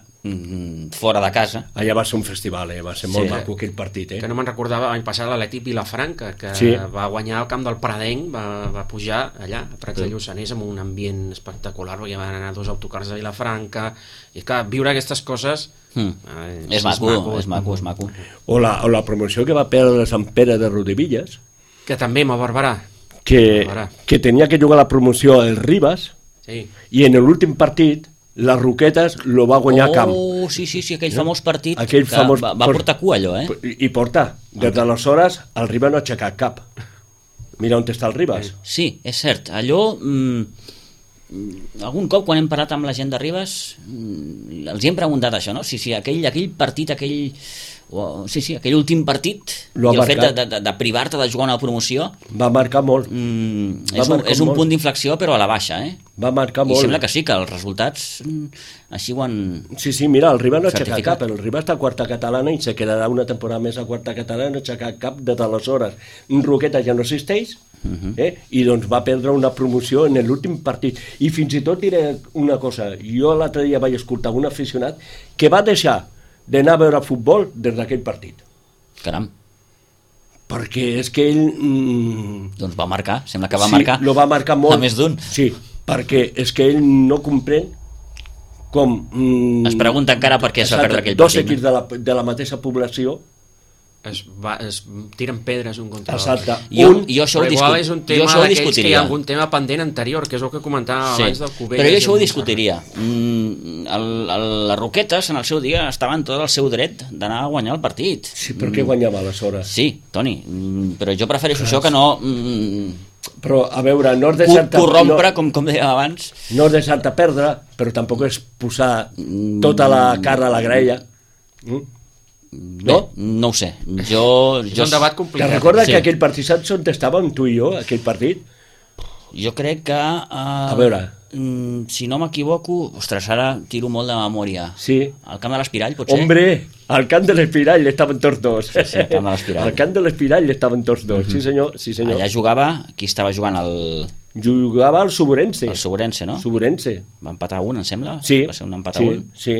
Speaker 1: fora de casa.
Speaker 2: Allà va ser un festival, va ser molt maco aquell partit.
Speaker 3: Que no me'n recordava l'any passat l'Atlètic Vilafranca, que va guanyar al camp del Pradenc, va pujar allà a Prats de Lluçanès amb un ambient espectacular, perquè van anar 2 autocars de Vilafranca, i clar, viure aquestes coses
Speaker 1: és maco.
Speaker 2: O la promoció que va perdre Sant Pere de Rodevillas,
Speaker 3: que també amb el Barberà,
Speaker 2: que tenia que jugar la promoció el Ribas, i en l'últim partit les Roquetes lo va guanyar a camp.
Speaker 1: Sí, aquell famós partit va portar cua allò,
Speaker 2: I porta. Des d'aleshores el Ribas no ha aixecat cap. Mira on està el Ribas.
Speaker 1: Sí, és cert. Allò, algun cop quan hem parlat amb la gent de Ribas, els hi hem preguntat això, no? Sí, aquell partit, aquell últim partit, i el fet de privar-te de jugar una promoció
Speaker 2: va marcar molt.
Speaker 1: És un punt d'inflexió, però a la baixa,
Speaker 2: Va marcar molt.
Speaker 1: I sembla que sí, que els resultats així ho han...
Speaker 2: Sí, mira, el Ribas no ha aixecat cap, el Ribas està a quarta catalana i se quedarà una temporada més a quarta catalana, no ha aixecat cap des d'aleshores. Roqueta ja no existeix, i doncs va perdre una promoció en l'últim partit. I fins i tot diré una cosa, jo l'altre dia vaig escoltar un aficionat que va deixar d'anar a veure futbol des d'aquell partit.
Speaker 1: Caram.
Speaker 2: Perquè és que ell...
Speaker 1: Doncs va marcar, sembla que va marcar.
Speaker 2: Sí, lo va marcar molt.
Speaker 1: A més d'un.
Speaker 2: Sí, perquè és que ell no comprèn com...
Speaker 1: Es pregunta encara per què es va perdre aquell partit.
Speaker 2: 2 equips de la mateixa població
Speaker 3: es tiren pedres un contra
Speaker 1: l'altre. Jo això ho discutiria.
Speaker 3: Que hi ha algun tema pendent anterior, que és el que comentava abans del Cubelles.
Speaker 1: Però jo això ho discutiria. Les Roquetes en el seu dia estaven tot el seu dret d'anar a guanyar el partit.
Speaker 2: Sí, però què guanyava aleshores?
Speaker 1: Sí, Toni, però jo prefereixo això que no...
Speaker 2: Però, a veure, no és deixar-te...
Speaker 1: corrompre, com dèiem abans.
Speaker 2: No és deixar-te perdre, però tampoc és posar tota la carn a la graella.
Speaker 1: No? No ho sé.
Speaker 3: És un debat complicat.
Speaker 2: Te'n recordes que aquell partit, saps on estàvem, tu i jo, aquell partit?
Speaker 1: Jo crec que...
Speaker 2: A veure...
Speaker 1: si no m'equivoco... Ostres, ara tiro molt de memòria.
Speaker 2: Sí.
Speaker 1: Al camp de l'Espirall, potser?
Speaker 2: Hombre, al camp de l'Espirall estaven tots dos.
Speaker 1: Sí, al camp de l'Espirall. Al
Speaker 2: camp de l'Espirall estaven tots dos, sí senyor.
Speaker 1: Allà jugava... Qui estava jugant?
Speaker 2: Jugava el Suburense.
Speaker 1: El Suburense, no?
Speaker 2: Suburense.
Speaker 1: Va empatar 1, em sembla?
Speaker 2: Sí.
Speaker 1: Va ser un empat a 1.
Speaker 2: Sí,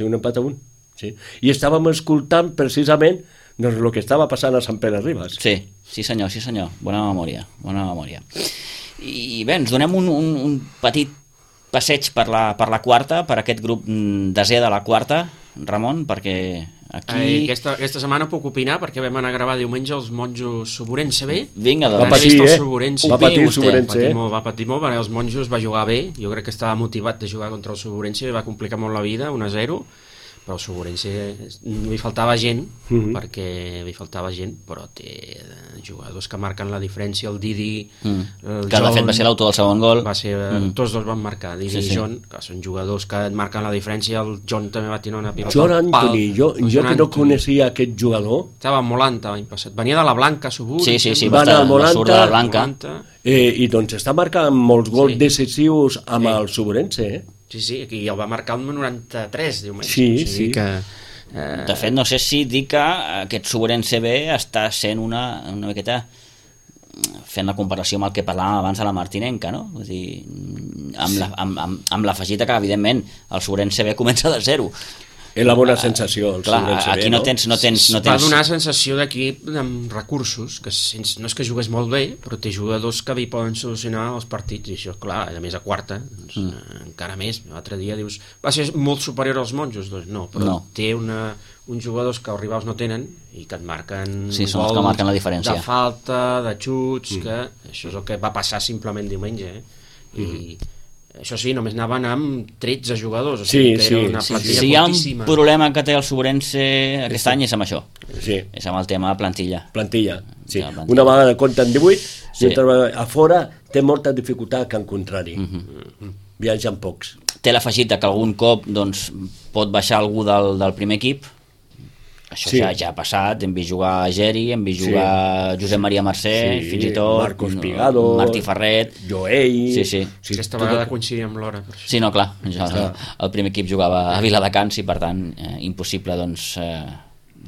Speaker 2: un empat a 1. Sí. I estàvem escoltant precisament doncs, el que estava passant a Sant Pere Ribas.
Speaker 1: Sí senyor. Bona memòria. I bé, ens donem un petit passeig per la quarta, per aquest grup desè de la quarta, Ramon, perquè aquí...
Speaker 3: Aquesta setmana puc opinar, perquè vam anar a gravar diumenge els monjos Suburense B.
Speaker 1: Vinga,
Speaker 2: doncs. Va patir el Suburense.
Speaker 3: Va patir molt, perquè els monjos va jugar bé, jo crec que estava motivat de jugar contra el Suburense i va complicar molt la vida, 1-0, però el Suburense li faltava gent, però té jugadors que marquen la diferència, el Didi, el
Speaker 1: que de fet va ser l'autor del segon gol.
Speaker 3: Tots dos van marcar, Didi i John, que són jugadors que marquen la diferència, el John també va tenir una pilota.
Speaker 2: John Anthony, jo que no coneixia aquest jugador.
Speaker 3: Estava a Molanta l'any passat, venia de la Blanca, Subur.
Speaker 1: Sí, va surt de la Blanca.
Speaker 2: I doncs està marcant molts gols decisius amb el Suburense,
Speaker 3: Sí, i el va marcar el 93, diumenge.
Speaker 2: Sí.
Speaker 1: De fet, no sé si dir que aquest Suburense B està sent una miqueta fent la comparació amb el que parlàvem abans de la Martinenca, no? Vull dir, amb l'afegita que, evidentment, el Suburense B comença de 0.
Speaker 2: És la bona sensació, el Suburense B,
Speaker 1: aquí no tens...
Speaker 3: Va donar sensació d'equip amb recursos, que no és que jugués molt bé, però té jugadors que poden solucionar els partits, i això, clar, a més a quarta, encara més. L'altre dia dius, va ser molt superior als monjos? Doncs no, però té uns jugadors que els rivals no tenen i que et marquen
Speaker 1: gols, són els que marquen la diferència.
Speaker 3: De falta, de xuts, que això és el que va passar simplement diumenge, i això sí, només anaven amb 13 jugadors, o sigui que era una plantilla
Speaker 1: si hi ha un problema que té el Suburense aquest any és amb això, és amb el tema plantilla,
Speaker 2: sí. Una vegada compten 18, a fora té molta dificultat que en contrari, viatgen pocs.
Speaker 1: Té l'afegit que algun cop doncs, pot baixar algú del primer equip, Això ja ha passat, hem vist jugar a Geri, hem vist jugar Josep Maria Mercè, fins i tot
Speaker 2: Marcos Pigado,
Speaker 1: Martí Ferret,
Speaker 2: Joey...
Speaker 1: Sí.
Speaker 3: Aquesta vegada coincidia amb l'hora.
Speaker 1: Sí, no, clar, el primer equip jugava a Viladecans i per tant impossible doncs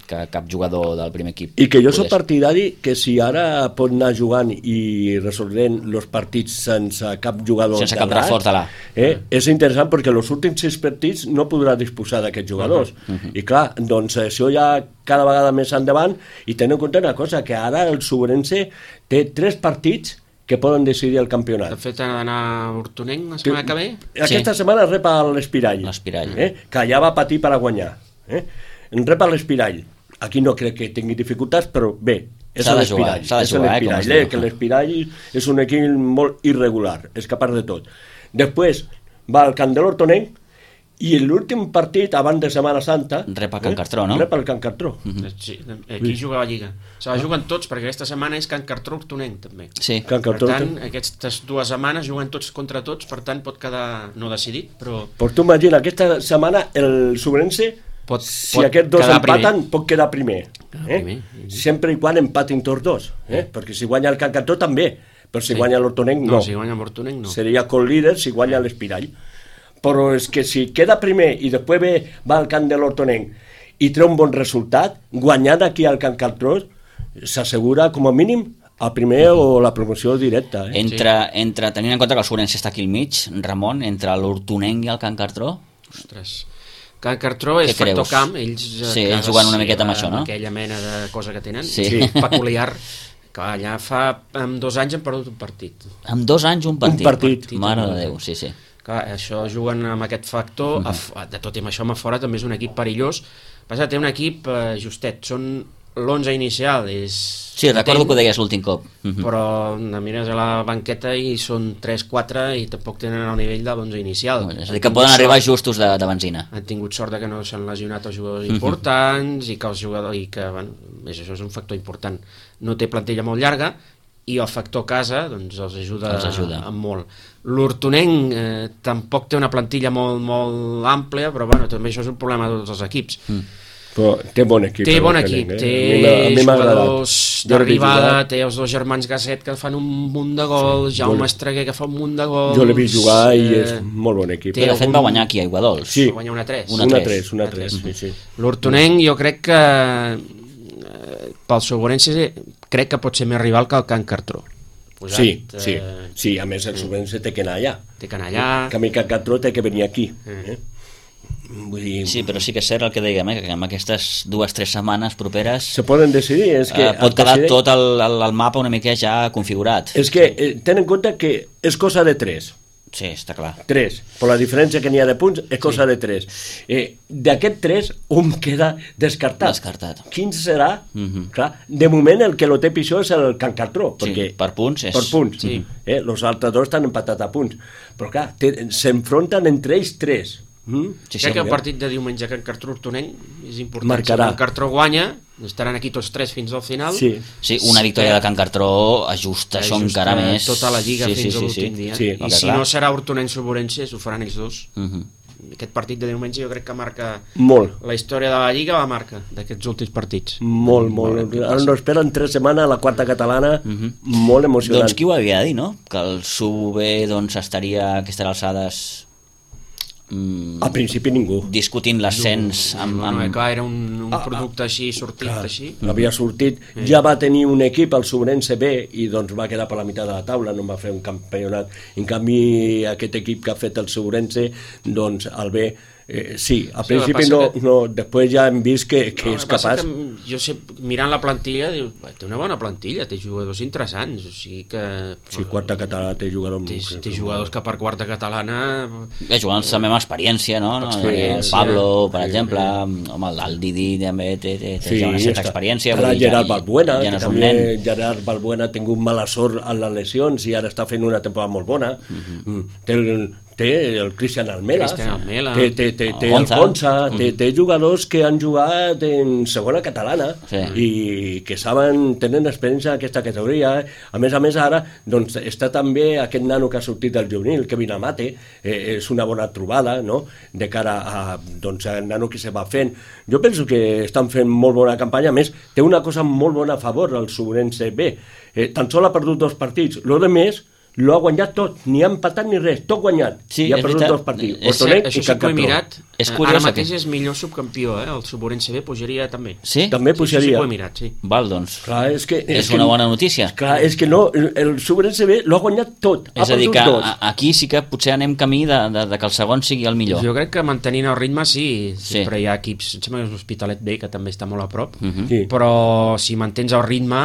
Speaker 1: que cap jugador del primer equip
Speaker 2: i que jo soc partidari que si ara pot anar jugant i resolent els partits sense cap jugador
Speaker 1: sense cap reforç de l'A
Speaker 2: és interessant perquè els últims 6 partits no podrà disposar d'aquests jugadors i clar, doncs això ja cada vegada més endavant i tenint en compte una cosa, que ara el Subrense té 3 partits que poden decidir el campionat.
Speaker 3: De fet, ha d'anar a Hortonenc la setmana que ve?
Speaker 2: Aquesta setmana rep a l'Espirall, que ja va patir per a guanyar. En rep a l'Espirall. Aquí no crec que tingui dificultats, però bé, és l'Espirall. Que l'Espirall és un equip molt irregular, és capaç de tot. Després va al Camp de l'Hortonenc i l'últim partit, abans de Setmana Santa...
Speaker 1: Rep a Can Cartró, no?
Speaker 2: Rep al Can Cartró.
Speaker 3: Sí, aquí juga la Lliga. Se la juguen tots, perquè aquesta setmana és Can Cartró-Hortonenc, també.
Speaker 1: Sí.
Speaker 3: Per tant, aquestes 2 setmanes juguen tots contra tots, per tant pot quedar no decidit, però...
Speaker 2: Però tu imagina, aquesta setmana el Subrense... si aquests dos empaten, pot quedar primer. Sempre i quan empatin tots dos. Perquè si guanya el Can Cartró també, però si guanya l'Hortonenc no.
Speaker 3: No, si guanya l'Hortonenc no.
Speaker 2: Seria co-líder si guanya l'Espirall. Però és que si queda primer i després va al camp de l'Hortonenc i treu un bon resultat, guanyant aquí al Can Cartró, s'assegura com a mínim el primer o la promoció directa.
Speaker 1: Entre tenint en compte que el Subrense està aquí al mig, Ramon, entre l'Hortonenc i el Can Cartró...
Speaker 3: Ostres... Can Cartró és factor camp, ells
Speaker 1: jugant una miqueta amb això, no?
Speaker 3: Aquella mena de cosa que tenen, peculiar, que allà amb 2 anys han perdut un partit.
Speaker 1: Amb 2 anys un partit?
Speaker 2: Un partit.
Speaker 1: Mare de Déu, sí.
Speaker 3: Clar, això juguen amb aquest factor, de tot i amb això a fora també és un equip perillós, passa que té un equip justet, són l'11 inicial, és...
Speaker 1: Sí, recordo que ho deies l'últim cop.
Speaker 3: Però mires a la banqueta i són 3-4 i tampoc tenen el nivell de l'11 inicial.
Speaker 1: És a dir, que poden arribar justos de benzina.
Speaker 3: Han tingut sort que no s'han lesionat els jugadors importants i que els jugadors... I que, bueno, això és un factor important. No té plantilla molt llarga i el factor casa doncs, els ajuda amb molt. L'Hortonenc tampoc té una plantilla molt àmplia, però bueno, també això és un problema de tots els equips.
Speaker 2: Però té bon equip.
Speaker 3: Té bon equip, té jugadors d'arribada, té els 2 germans Gasset que fan un munt de gols, Jaume Estreguer que fa un munt de gols...
Speaker 2: Jo l'he vist jugar i és molt bon equip.
Speaker 1: De fet va guanyar aquí a Aiguadols.
Speaker 3: Sí, va guanyar una 3.
Speaker 2: Sí.
Speaker 3: L'Hortonenc jo crec que pel Subrense crec que pot ser més rival que el Can Cartró.
Speaker 2: Sí, a més el Subrense té que anar allà.
Speaker 3: Té que anar allà.
Speaker 2: Que a mi Can Cartró té que venir aquí. Vull dir...
Speaker 1: Sí, però sí que és cert el que dèiem, que amb aquestes 2-3 setmanes properes
Speaker 2: se poden decidir, és que
Speaker 1: pot quedar tot el mapa una mica ja configurat.
Speaker 2: És que ten en compte que és cosa de 3.
Speaker 1: Sí, està clar.
Speaker 2: 3, per la diferència que n'hi ha de punts és cosa de 3. D'aquest 3 un queda descartat. Quin serà? Clar, de moment el que lo té pitjor és el Can Cartró, perquè
Speaker 1: per punts és...
Speaker 2: Per punts. Els altres 2 estan empatats a punts, però clar, s'enfronten entre ells 3.
Speaker 3: Crec que el partit de diumenge Can Cartró-Hortonenc és important. Si Can Cartró guanya, estaran aquí tots 3 fins al final.
Speaker 1: Sí, una victòria de Can Cartró ajusta això encara més.
Speaker 3: Tota la lliga fins a l'últim dia. I si no serà Hortonenc-Subrense, ho faran ells 2. Aquest partit de diumenge jo crec que marca
Speaker 2: molt.
Speaker 3: La història de la lliga, la marca d'aquests últims partits.
Speaker 2: Molt. Ara no esperen 3 setmanes a la 4ª catalana, molt emocionant.
Speaker 1: Doncs qui ho havia de dir, no? Que el SUB estaria a aquestes alçades...
Speaker 2: Al principi ningú
Speaker 1: discutint l'ascens
Speaker 3: clar, era un producte així sortit així.
Speaker 2: Havia sortit, ja va tenir un equip al Subrense B i doncs va quedar per la meitat de la taula, no va fer un campionat. En canvi aquest equip que ha fet el Subrense, doncs el B sí, al principi no, després ja hem vist que és capaç.
Speaker 3: Jo sé, mirant la plantilla, diu, té una bona plantilla, té jugadors interessants, o sigui que...
Speaker 2: Sí, 4ª catalana té jugadors...
Speaker 3: Té jugadors que per 4ª catalana...
Speaker 1: Jugant també amb experiència, no? El Pablo, per exemple, home, el Didi també té una certa experiència.
Speaker 2: Ara Gerard Balbuena, que també Gerard Balbuena ha tingut mala sort en les lesions i ara està fent una temporada molt bona. té el Cristian Almela, té el
Speaker 1: Gonza.
Speaker 2: Gonza, té jugadors que han jugat en segona catalana i que tenen experiència en aquesta categoria. A més, ara doncs, està també aquest nano que ha sortit del juvenil, Kevin Amate, és una bona trobada, no?, de cara a, doncs, al nano que se va fent. Jo penso que estan fent molt bona campanya. A més, té una cosa molt bona a favor, el Sobrense B. Tan sol ha perdut 2 partits. Lo de més lo ha guanyat tot, ni ha empatat ni res, tot guanyat.
Speaker 1: Sí,
Speaker 2: i ha perdut 2 partits.
Speaker 3: Això sí que ho he mirat.
Speaker 1: És curiós,
Speaker 3: ara mateix és millor subcampió, el Suborense B pujaria també.
Speaker 1: Sí?
Speaker 2: També pujaria.
Speaker 3: Sí, ho he mirat, sí.
Speaker 1: Val, doncs.
Speaker 2: Clar,
Speaker 1: és una bona notícia.
Speaker 2: Clar, és que no, el Suborense B lo ha guanyat tot.
Speaker 1: És a dir, que aquí sí que potser anem camí de que el segon sigui el millor.
Speaker 3: Jo crec que mantenint el ritme sí. Sempre hi ha equips, em sembla que és l'Hospitalet B, que també està molt a prop, però si mantens el ritme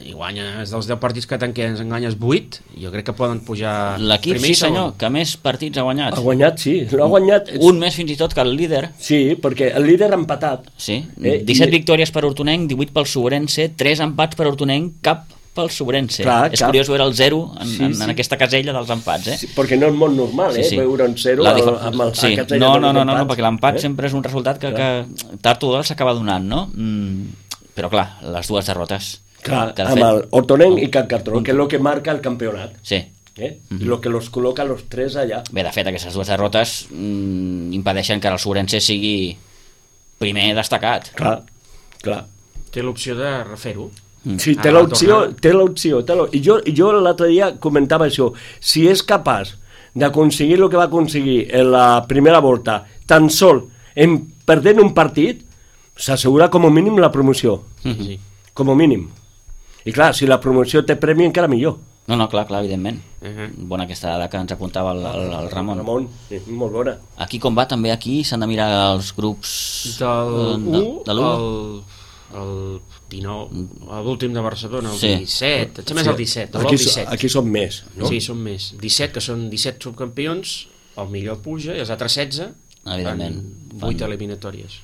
Speaker 3: i guanyes dels 10 partits que ens enganyes 8, jo crec que poden pujar
Speaker 1: l'equip,
Speaker 3: primer i
Speaker 1: sí senyor, que més partits ha guanyat.
Speaker 2: Ha guanyat, sí, l'ha guanyat.
Speaker 1: Un més fins i tot que el líder.
Speaker 2: Sí, perquè el líder ha empatat.
Speaker 1: Sí, 17 victòries per Hortonenc, 18 pel Sobrense, 3 empats per Hortonenc, cap pel Sobrense. És curiós veure el 0 en aquesta casella dels empats.
Speaker 2: Sí, perquè no és molt normal, veure un 0 amb el casella dels
Speaker 1: empats. No, perquè l'empat sempre és un resultat que tard o d'hora s'acaba donant, no? Però clar, les dues derrotes.
Speaker 2: Clar, amb el Hortonenc i Can Cartró, que és el que marca el campionat.
Speaker 1: Sí.
Speaker 2: El que los col·loca los 3 allà.
Speaker 1: Bé, de fet, aquestes dues derrotes impedeixen que el Sobrense sigui primer destacat.
Speaker 2: Clar.
Speaker 3: Té l'opció de refer-ho.
Speaker 2: Sí, té l'opció. I jo l'altre dia comentava això. Si és capaç d'aconseguir el que va aconseguir en la primera volta, tan sol en perdent un partit, s'assegura com a mínim la promoció.
Speaker 3: Sí.
Speaker 2: Com a mínim. I clar, si la promoció té premi encara millor.
Speaker 1: No, clar, evidentment. Bona aquesta dada que ens apuntava el Ramon.
Speaker 2: Sí, molt bona.
Speaker 1: Aquí com va, també aquí s'han de mirar els grups
Speaker 3: de l'1, el 19, l'últim de Barcelona, el 17, et sembla el 17.
Speaker 2: Aquí són més, no?
Speaker 3: Sí, són més. 17, que són 17 subcampions, el millor puja, i els altres 16
Speaker 1: evidentment
Speaker 3: fan 8 eliminatòries.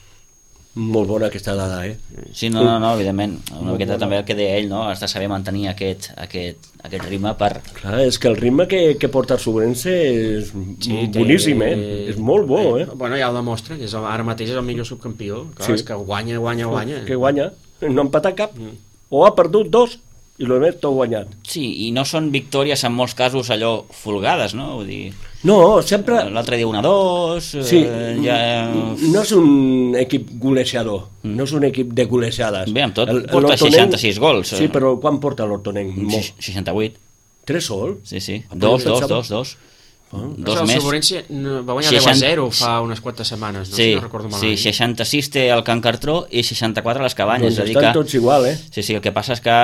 Speaker 2: Molt bona aquesta dada,
Speaker 1: Sí, no, evidentment. Una miqueta també el que deia ell, no? Has de saber mantenir aquest ritme per...
Speaker 2: Clar, és que el ritme que porta el Sobrense és boníssim, És molt bo,
Speaker 3: Bueno, ja ho demostra, que ara mateix és el millor subcampió. Clar, és que guanya.
Speaker 2: Que guanya, no ha empatat cap. O ha perdut 2 i el més tot guanyat.
Speaker 1: Sí, i no són victòries en molts casos allò folgades, no? Vull dir...
Speaker 2: No, sempre...
Speaker 1: L'altre dia 1-2...
Speaker 2: Sí, no és un equip golejador, no és un equip de golejades.
Speaker 1: Bé, amb tot porta 66 gols.
Speaker 2: Sí, però quan porta l'Hortonenc?
Speaker 1: 68. 3
Speaker 2: sol?
Speaker 1: Sí. 2. Dos
Speaker 3: el
Speaker 1: més.
Speaker 3: Sobrense va guanyar 10-0 fa unes quantes setmanes, no? Si no recordo malament.
Speaker 1: Sí, 66 té el Can Cartró i 64 les Cabanyes.
Speaker 2: Doncs estan tots igual,
Speaker 1: Sí, el que passa és que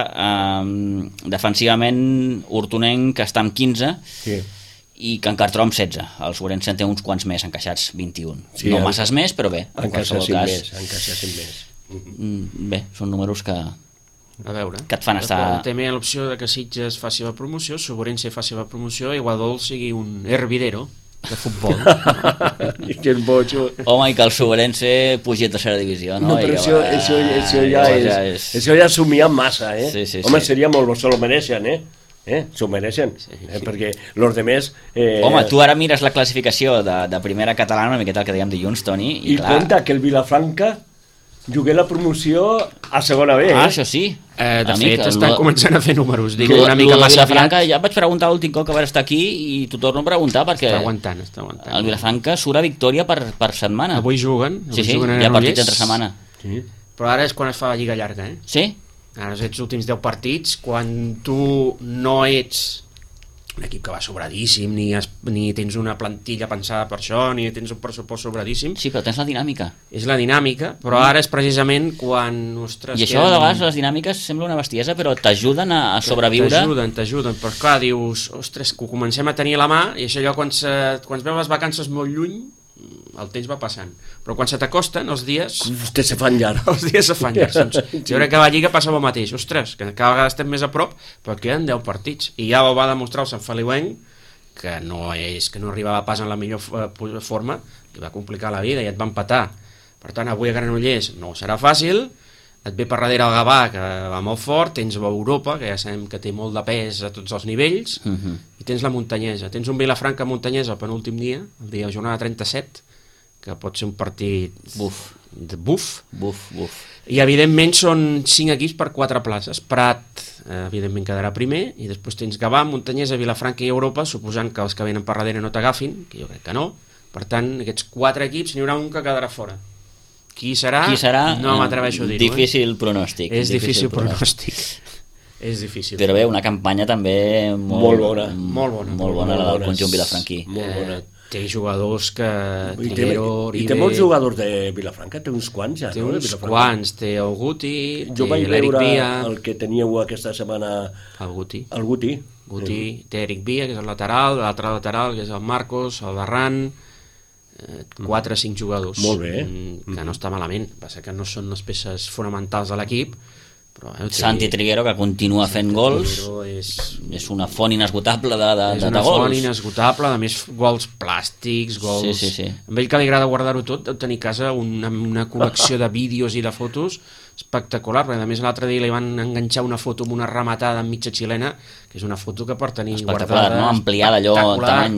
Speaker 1: defensivament Hortonenc està amb 15 i Can Cartró amb 16. El Sobrense té uns quants més encaixats, 21. No masses més, però bé.
Speaker 2: Encaixassin més.
Speaker 1: Bé, són números que...
Speaker 3: A veure,
Speaker 1: que et fan estar...
Speaker 3: També l'opció de que Sitges faci la promoció, Sobrense faci la promoció i Guadol sigui un hervidero de futbol.
Speaker 2: Que és boig.
Speaker 1: Home, i que el Sobrense pugi a tercera divisió, no?
Speaker 2: No, però això ja somiar massa,
Speaker 1: Sí.
Speaker 2: Home, seria molt bo, se lo mereixen, s'ho mereixen, perquè els demés...
Speaker 1: Home, tu ara mires la classificació de primera catalana, una miqueta el que dèiem dilluns, Toni,
Speaker 2: i clar... compta que el Vilafranca jugué la promoció a segona B.
Speaker 1: Això sí.
Speaker 3: De fet, estan començant a fer números. Dic una mica massa
Speaker 1: Vilafranca, ja vaig preguntar l'últim cop que va estar aquí i t'ho torno a preguntar perquè...
Speaker 3: Està aguantant.
Speaker 1: El Vilafranca surt a victòria per setmana.
Speaker 3: Avui juguen.
Speaker 1: Sí, hi ha partits entre setmana.
Speaker 3: Sí. Però ara és quan es fa la lliga llarga,
Speaker 1: Sí?
Speaker 3: Ara ets els últims 10 partits, quan tu no ets un equip que va sobradíssim, ni tens una plantilla pensada per això, ni tens un pressupost sobradíssim.
Speaker 1: Sí, però tens la dinàmica.
Speaker 3: És la dinàmica, però ara és precisament quan... Ostres,
Speaker 1: I això, de vegades, les dinàmiques sembla una bestiesa, però t'ajuden a sobreviure.
Speaker 3: T'ajuden, però clar, dius, ostres, que ho comencem a tenir a la mà, i això allò, quan veus les vacances molt lluny, el temps va passant, però quan se t'acosten els dies
Speaker 2: se fan llargs.
Speaker 3: Jo crec que a la Lliga passa el mateix, ostres, que cada vegada estem més a prop, però queden 10 partits i ja ho va demostrar el Sant Feliuenc, que no arribava pas en la millor forma, li va complicar la vida i et va empatar. Per tant, avui a Granollers no serà fàcil, et ve per darrere el Gavà, que va molt fort, tens l'Europa, que ja sabem que té molt de pes a tots els nivells, i tens la Muntanyesa. Tens un Vilafranca Muntanyesa el penúltim dia, el dia de jornada 37, que pot ser un partit buf. I evidentment són 5 equips per 4 places. Prat, evidentment, quedarà primer, i després tens Gavà, Muntanyesa, Vilafranca i Europa, suposant que els que venen per darrere no t'agafin, que jo crec que no. Per tant, aquests 4 equips n'hi haurà un que quedarà fora. Qui serà? No m'atreveixo a dir-ho.
Speaker 1: Difícil pronòstic.
Speaker 3: És difícil pronòstic. És difícil.
Speaker 1: Però bé, una campanya també molt bona la del conjunt vilafranquí.
Speaker 2: Molt bona.
Speaker 3: Té jugadors que...
Speaker 2: I té molts jugadors de Vilafranca, té uns quants ja,
Speaker 3: té uns quants, té el Guti,
Speaker 2: jo vaig veure el que teníeu aquesta setmana...
Speaker 3: El Guti.
Speaker 2: Té
Speaker 3: Eric Villa, que és el lateral, l'altre lateral, que és el Marcos, el Barran... 4 o 5 jugadors.
Speaker 2: Molt bé.
Speaker 3: Que no està malament. Passa que no són les peces fonamentals de l'equip, però...
Speaker 1: Santi Triguero, que continua fent gols, és una font inesgotable de gols.
Speaker 3: És una font inesgotable, a més gols plàstics, gols...
Speaker 1: Sí.
Speaker 3: A ell que li agrada guardar-ho tot, deu tenir a casa una col·lecció de vídeos i de fotos espectacular, perquè a més l'altre dia li van enganxar una foto amb una rematada en mitja xilena, que és una foto que per tenir
Speaker 1: espectacular,
Speaker 3: guardada...
Speaker 1: no? Ampliada allò, tamany...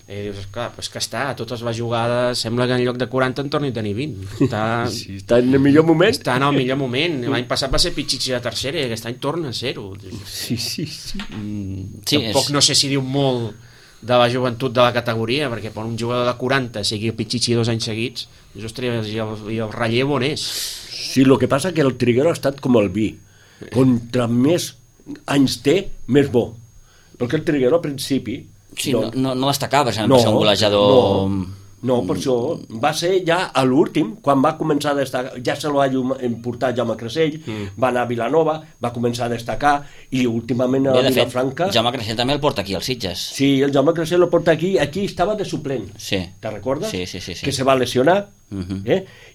Speaker 3: dius, clar, però és que està, a totes les jugades sembla que en lloc de 40 en torni a tenir 20.
Speaker 2: Està en el millor moment.
Speaker 3: Està en el millor moment. L'any passat va ser Pichichi de tercera i aquest any torna a ser-ho.
Speaker 2: Sí.
Speaker 3: Tampoc no sé si diu molt de la joventut de la categoria, perquè per un jugador de 40 sigui Pichichi 2 anys seguits, dius, ostres, i el relleu on és?
Speaker 2: Sí, el que passa que el Triguero ha estat com el vi. Contra més anys té, més bo. Perquè el Triguero al principi...
Speaker 1: Sí, no destacaves en ser un golejador...
Speaker 2: No, per això va ser ja a l'últim, quan va començar a destacar, ja se lo va importar Jaume Cressell, va anar a Vilanova, va començar a destacar, i últimament a Vilafranca...
Speaker 1: De fet, Jaume Cressell també el porta aquí, als Sitges.
Speaker 2: Sí, el Jaume Cressell el porta aquí estava de suplent,
Speaker 1: sí.
Speaker 2: Te recordes?
Speaker 1: Sí.
Speaker 2: Que se va lesionar,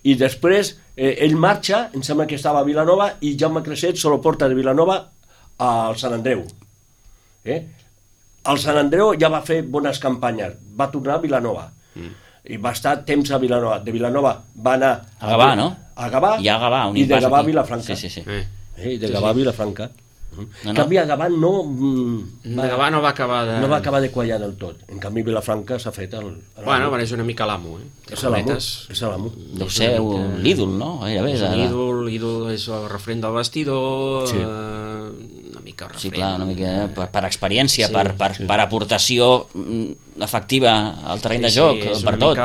Speaker 2: i després ell marxa, em sembla que estava a Vilanova, i Jaume Cressell se lo porta de Vilanova al Sant Andreu. El Sant Andreu ja va fer bones campanyes, va tornar a Vilanova, i va estar temps a Vilanova. De Vilanova va anar
Speaker 1: a Gavà, no?
Speaker 2: A Gavà,
Speaker 1: i
Speaker 2: de Gavà a Vilafranca.
Speaker 1: Sí.
Speaker 2: I de Gavà a Vilafranca. En canvi, a Gavà
Speaker 3: Gavà no va acabar
Speaker 2: de quallar del tot. En canvi, Vilafranca s'ha fet
Speaker 3: Bueno, és una mica l'amo,
Speaker 2: És l'amo.
Speaker 1: Deu ser l'ídol, no?
Speaker 3: L'ídol és el referent del vestidor, una mica referent.
Speaker 1: Sí, clar, una mica per experiència, per aportació efectiva al terreny de joc, per tot.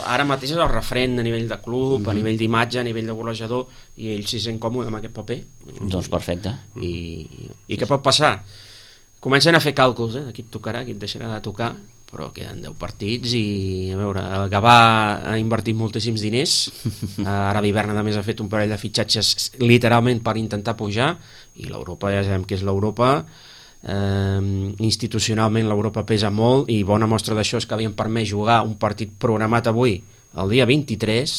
Speaker 3: Ara mateix és el referent a nivell de club, a nivell d'imatge, a nivell de golejador, i ell s'hi sent còmode amb aquest paper.
Speaker 1: Doncs perfecte.
Speaker 3: I què pot passar? Comencen a fer càlculs, aquí et tocarà, aquí et deixarà de tocar, però queden 10 partits i, a veure, el Gavà ha invertit moltíssims diners, ara l'hivern a més ha fet un parell de fitxatges literalment per intentar pujar, i l'Europa ja sabem que és l'Europa, institucionalment l'Europa pesa molt, i bona mostra d'això és que havien permès jugar un partit programat avui, el dia 23,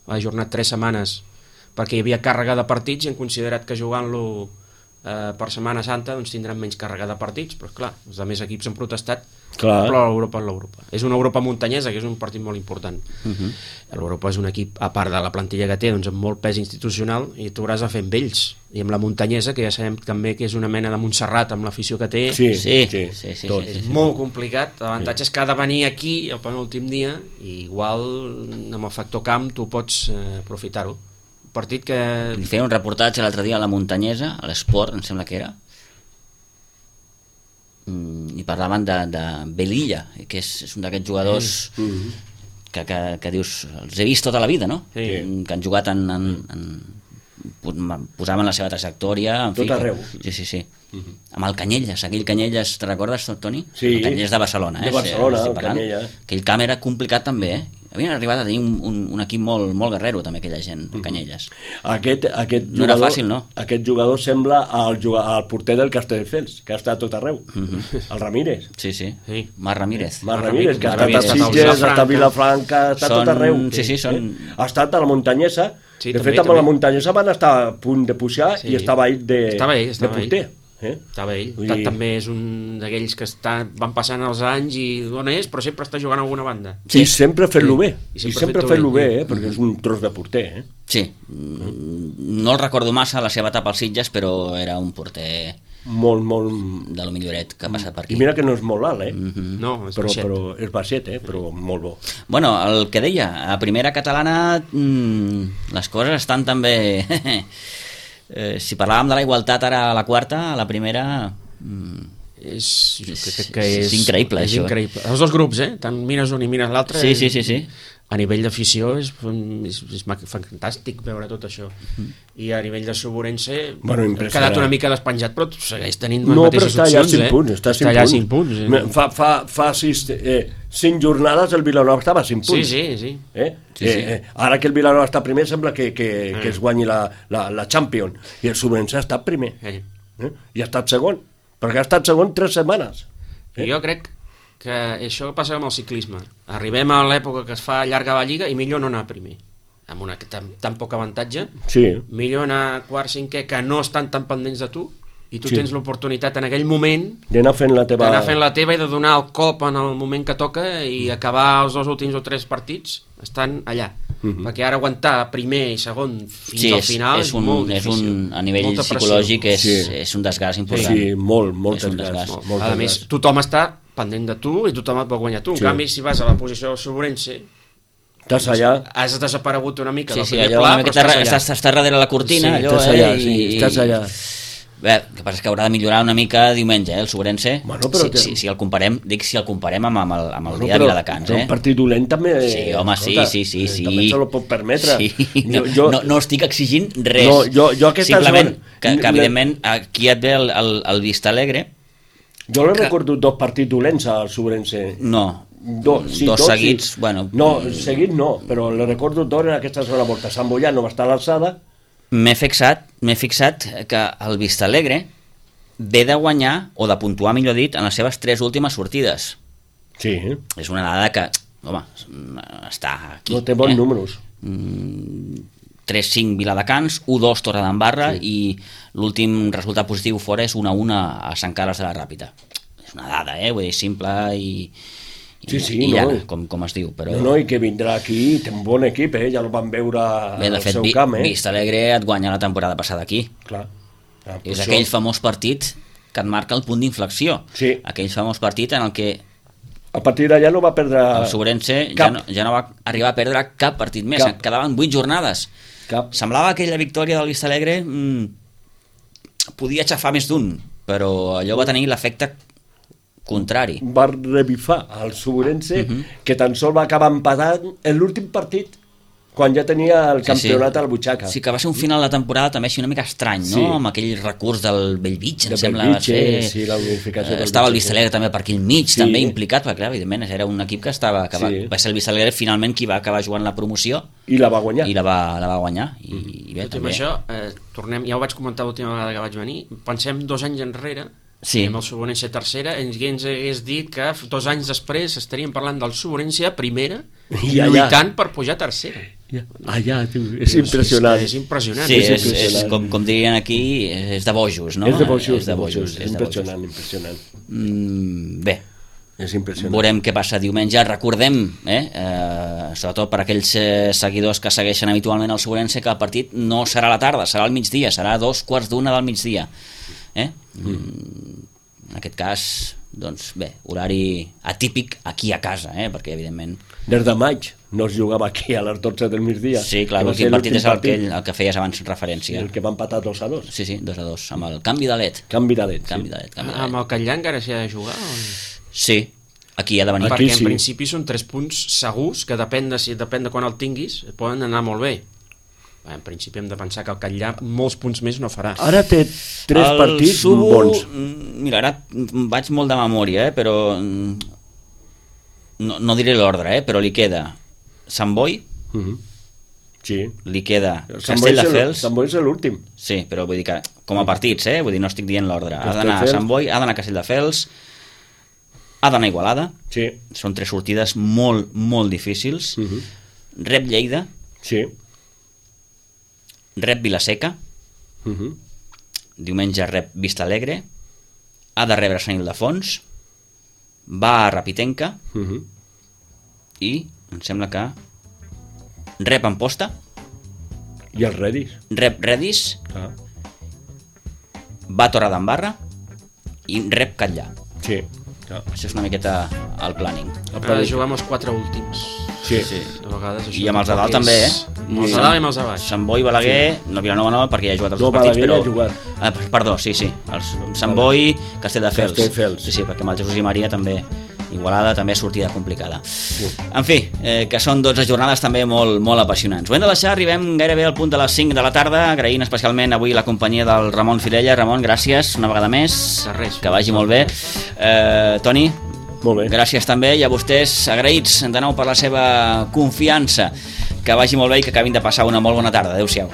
Speaker 3: ha ajornat 3 setmanes, perquè hi havia càrrega de partits i han considerat que jugant-lo per Setmana Santa doncs tindran menys càrrega de partits, però clar, els altres equips han protestat, però l'Europa és l'Europa. És una Europa muntanyesa, que és un partit molt important. L'Europa és un equip, a part de la plantilla que té, doncs amb molt pes institucional, i tu hauràs de fer amb ells. I amb la muntanyesa, que ja sabem també que és una mena de Montserrat amb l'afició que té, és molt complicat. L'avantatge és que ha de venir aquí el penúltim dia, i igual amb el factor camp tu pots aprofitar-ho. Partit que...
Speaker 1: Feia un reportatge l'altre dia a la Muntanyesa, a l'Esport, em sembla que era, i parlaven de Belilla, que és un d'aquests jugadors que dius, els he vist tota la vida, no? Que han jugat posaven la seva trajectòria, en fi,
Speaker 2: tot arreu.
Speaker 1: Sí. Amb el Canyelles, aquell Canyelles, te'n recordes, Toni?
Speaker 2: Sí.
Speaker 1: El Canyelles de Barcelona.
Speaker 2: De Barcelona, el Canyelles.
Speaker 1: Aquell camp era complicat també, Havien arribat a tenir un equip molt guerrero, també, aquella gent, Canyelles.
Speaker 2: Aquest
Speaker 1: no era fàcil, no?
Speaker 2: Aquest jugador sembla el porter del Castelldefels, que ha estat tot arreu. El Ramírez.
Speaker 1: Sí. Marc Ramírez.
Speaker 2: Marc Ramírez, que ha estat a Sitges, ha estat a Vilafranca, ha estat tot arreu. Ha estat a la Muntanyesa. De fet, amb la Muntanyesa van estar a punt de pujar i estava ell de porter.
Speaker 3: Estava ell. També és un d'aquells que van passant els anys i d'on és, però sempre està jugant a alguna banda.
Speaker 2: I sempre fent-lo bé. I sempre fent-lo bé, perquè és un tros de porter.
Speaker 1: Sí. No el recordo massa la seva etapa als Sitges, però era un porter
Speaker 2: molt
Speaker 1: de lo milloret que ha passat per aquí.
Speaker 2: I mira que no és molt alt,
Speaker 3: No, és baixet.
Speaker 2: Però és baixet, però molt bo.
Speaker 1: Bueno, el que deia, a primera catalana les coses estan també... si parlàvem de la igualtat ara a la quarta, a la primera... És increïble, això.
Speaker 3: Increïble. Els dos grups, tant mires un i mires l'altre.
Speaker 1: Sí.
Speaker 3: A nivell d'afició és fantàstic veure tot això. I a nivell de Suburense ha quedat una mica despenjat, però segueix tenint les mateixes opcions.
Speaker 2: Està allà a 5 punts. Fa 5 jornades el Vilanova estava a 5 punts.
Speaker 3: Sí.
Speaker 2: Ara que el Vilanova està primer sembla que es guanyi la Champions, i el Suburense ha estat primer i ha estat segon, perquè ha estat segon 3 setmanes.
Speaker 3: Jo crec que això passa amb el ciclisme. Arribem a l'època que es fa llarga la lliga i millor no anar primer, amb tan poc avantatge. Millor anar quart, cinquè, que no estan tan pendents de tu, i tu tens l'oportunitat en aquell moment
Speaker 2: d'anar fent la teva
Speaker 3: i de donar el cop en el moment que toca i acabar els 2 últims o 3 partits estan allà. Perquè ara aguantar primer i segon fins al final és molt difícil.
Speaker 1: A nivell psicològic és un desgast important.
Speaker 2: Sí, molt desgast.
Speaker 3: A més, tothom està pendent de tu i tothom et vol guanyar tu. En canvi, si vas a la posició del Suburense,
Speaker 2: estàs allà,
Speaker 3: has desaparegut una mica del
Speaker 1: primer pla, però estàs darrere la cortina.
Speaker 2: Estàs allà.
Speaker 1: Bé, el que passa és que haurà de millorar una mica diumenge, el Suburense. Si el comparem, amb el dia de Viladecans.
Speaker 2: Un partit dolent també.
Speaker 1: Sí, home, sí.
Speaker 2: També se lo pot permetre.
Speaker 1: No estic exigint res. Simplement que evidentment aquí et ve el Vista Alegre.
Speaker 2: Jo l'he recordat 2 partits dolents al Suburense.
Speaker 1: No, dos seguits.
Speaker 2: No, seguits no, però l'he recordat 2 en aquesta segona volta. Sant Boià no va estar a l'alçada.
Speaker 1: M'he fixat que el Vista Alegre ve de guanyar, o de puntuar, millor dit, en les seves 3 últimes sortides.
Speaker 2: Sí.
Speaker 1: És una dada que, home, està aquí.
Speaker 2: No té bons números.
Speaker 1: 3-5 Viladecans, 1-2 Torredembarra, i l'últim resultat positiu fora és 1-1 a Sant Carles de la Ràpita. És una dada, vull dir, simple i llana, com es diu. Però...
Speaker 2: No, i que vindrà aquí, té un bon equip, ja el van veure al seu camp.
Speaker 1: Vista Alegre et guanya la temporada passada aquí.
Speaker 2: Clar.
Speaker 1: És aquell famós partit que et marca el punt d'inflexió.
Speaker 2: Sí.
Speaker 1: Aquell famós partit en el que
Speaker 2: a partir d'allà no va perdre
Speaker 1: el Suburense ja no va arribar a perdre cap partit més. Quedaven 8 jornades. Semblava que aquella victòria del Vista Alegre podia aixafar més d'un, però allò va tenir l'efecte contrari.
Speaker 2: Va revifar el Suburense, que tan sol va acabar empatant en l'últim partit, quan ja tenia el campionat a la butxaca.
Speaker 1: Sí, que va ser un final de temporada també així una mica estrany, no? Amb aquell recurs del Bellvitge, em sembla.
Speaker 2: Sí, la unificació del
Speaker 1: estava el Vista Alegre també per aquí al mig, també implicat, perquè clar, evidentment era un equip que estava... va ser el Vista Alegre finalment qui va acabar jugant la promoció.
Speaker 2: I la va guanyar.
Speaker 1: I la va guanyar. I bé, també.
Speaker 3: Això, tornem, ja ho vaig comentar l'última vegada que vaig venir, pensem 2 anys enrere, amb el Suburense tercera, ens hagués dit que 2 anys després estaríem parlant del Suburense a primera i lluitant per pujar a tercera.
Speaker 2: És impressionant.
Speaker 3: És impressionant.
Speaker 1: Sí, és com dirien aquí, és de bojos, no?
Speaker 2: És de bojos, és impressionant.
Speaker 1: Bé,
Speaker 2: és impressionant.
Speaker 1: Veurem què passa diumenge. Recordem, sobretot per aquells seguidors que segueixen habitualment el Suburense, que el partit no serà a la tarda, serà al migdia, serà a 2:15 del migdia. En aquest cas, doncs bé, horari atípic aquí a casa, perquè evidentment...
Speaker 2: Des de maig no es jugava aquí a les 12 del migdia.
Speaker 1: Sí, clar, l'últim partit és el que feies abans referència.
Speaker 2: El que va empatar 2-2.
Speaker 1: Sí, 2-2, amb el canvi de led.
Speaker 2: Canvi de led.
Speaker 3: Amb el Catllà encara s'hi ha de jugar?
Speaker 1: Sí, aquí ha de venir.
Speaker 3: Perquè en principi són 3 punts segurs, que depèn de quan el tinguis, poden anar molt bé. En principi hem de pensar que el Catllà molts punts més no farà.
Speaker 2: Ara té 3 partits bons.
Speaker 1: Mira, ara vaig molt de memòria, però no diré l'ordre, però li queda Sant Boi, li queda Castelldefels.
Speaker 2: Sant Boi és l'últim.
Speaker 1: Sí, però vull dir que com a partits, vull dir, no estic dient l'ordre. Ha d'anar a Sant Boi, ha d'anar a Castelldefels, ha d'anar a Igualada. Són 3 sortides molt, molt difícils. Rep Lleida.
Speaker 2: Sí.
Speaker 1: Rep Vilaseca, diumenge rep Vista Alegre, ha de rebre Sant Ildefons, va a Rapitenca i em sembla que rep Amposta,
Speaker 2: i els Redis,
Speaker 1: rep Redis, va a Torredembarra i rep Catllà.
Speaker 2: Sí.
Speaker 1: Això és una miqueta el planning.
Speaker 3: Jugar amb els 4 últims.
Speaker 2: Sí.
Speaker 3: A vegades
Speaker 1: I amb els de dalt també,
Speaker 3: Amb els de dalt i amb els de baix.
Speaker 1: Sant Boi, Balaguer, no, Vilanova no, perquè ja ha jugat els dos
Speaker 2: partits,
Speaker 1: però...
Speaker 2: ha jugat.
Speaker 1: Perdó, sí. Sant Boi, Castelldefels.
Speaker 2: Castelldefels.
Speaker 1: Sí, perquè amb el Jesús i Maria també... Igualada també sortida complicada. En fi, que són 12 jornades també molt, molt apassionants. Ho hem de deixar, arribem gairebé al punt de les 5 de la tarda, agraint especialment avui la companyia del Ramon Filella. Ramon, gràcies una vegada més, que vagi molt bé. Toni,
Speaker 2: molt bé.
Speaker 1: Gràcies també, i a vostès agraïts de nou per la seva confiança. Que vagi molt bé i que acabin de passar una molt bona tarda. Adéu-siau.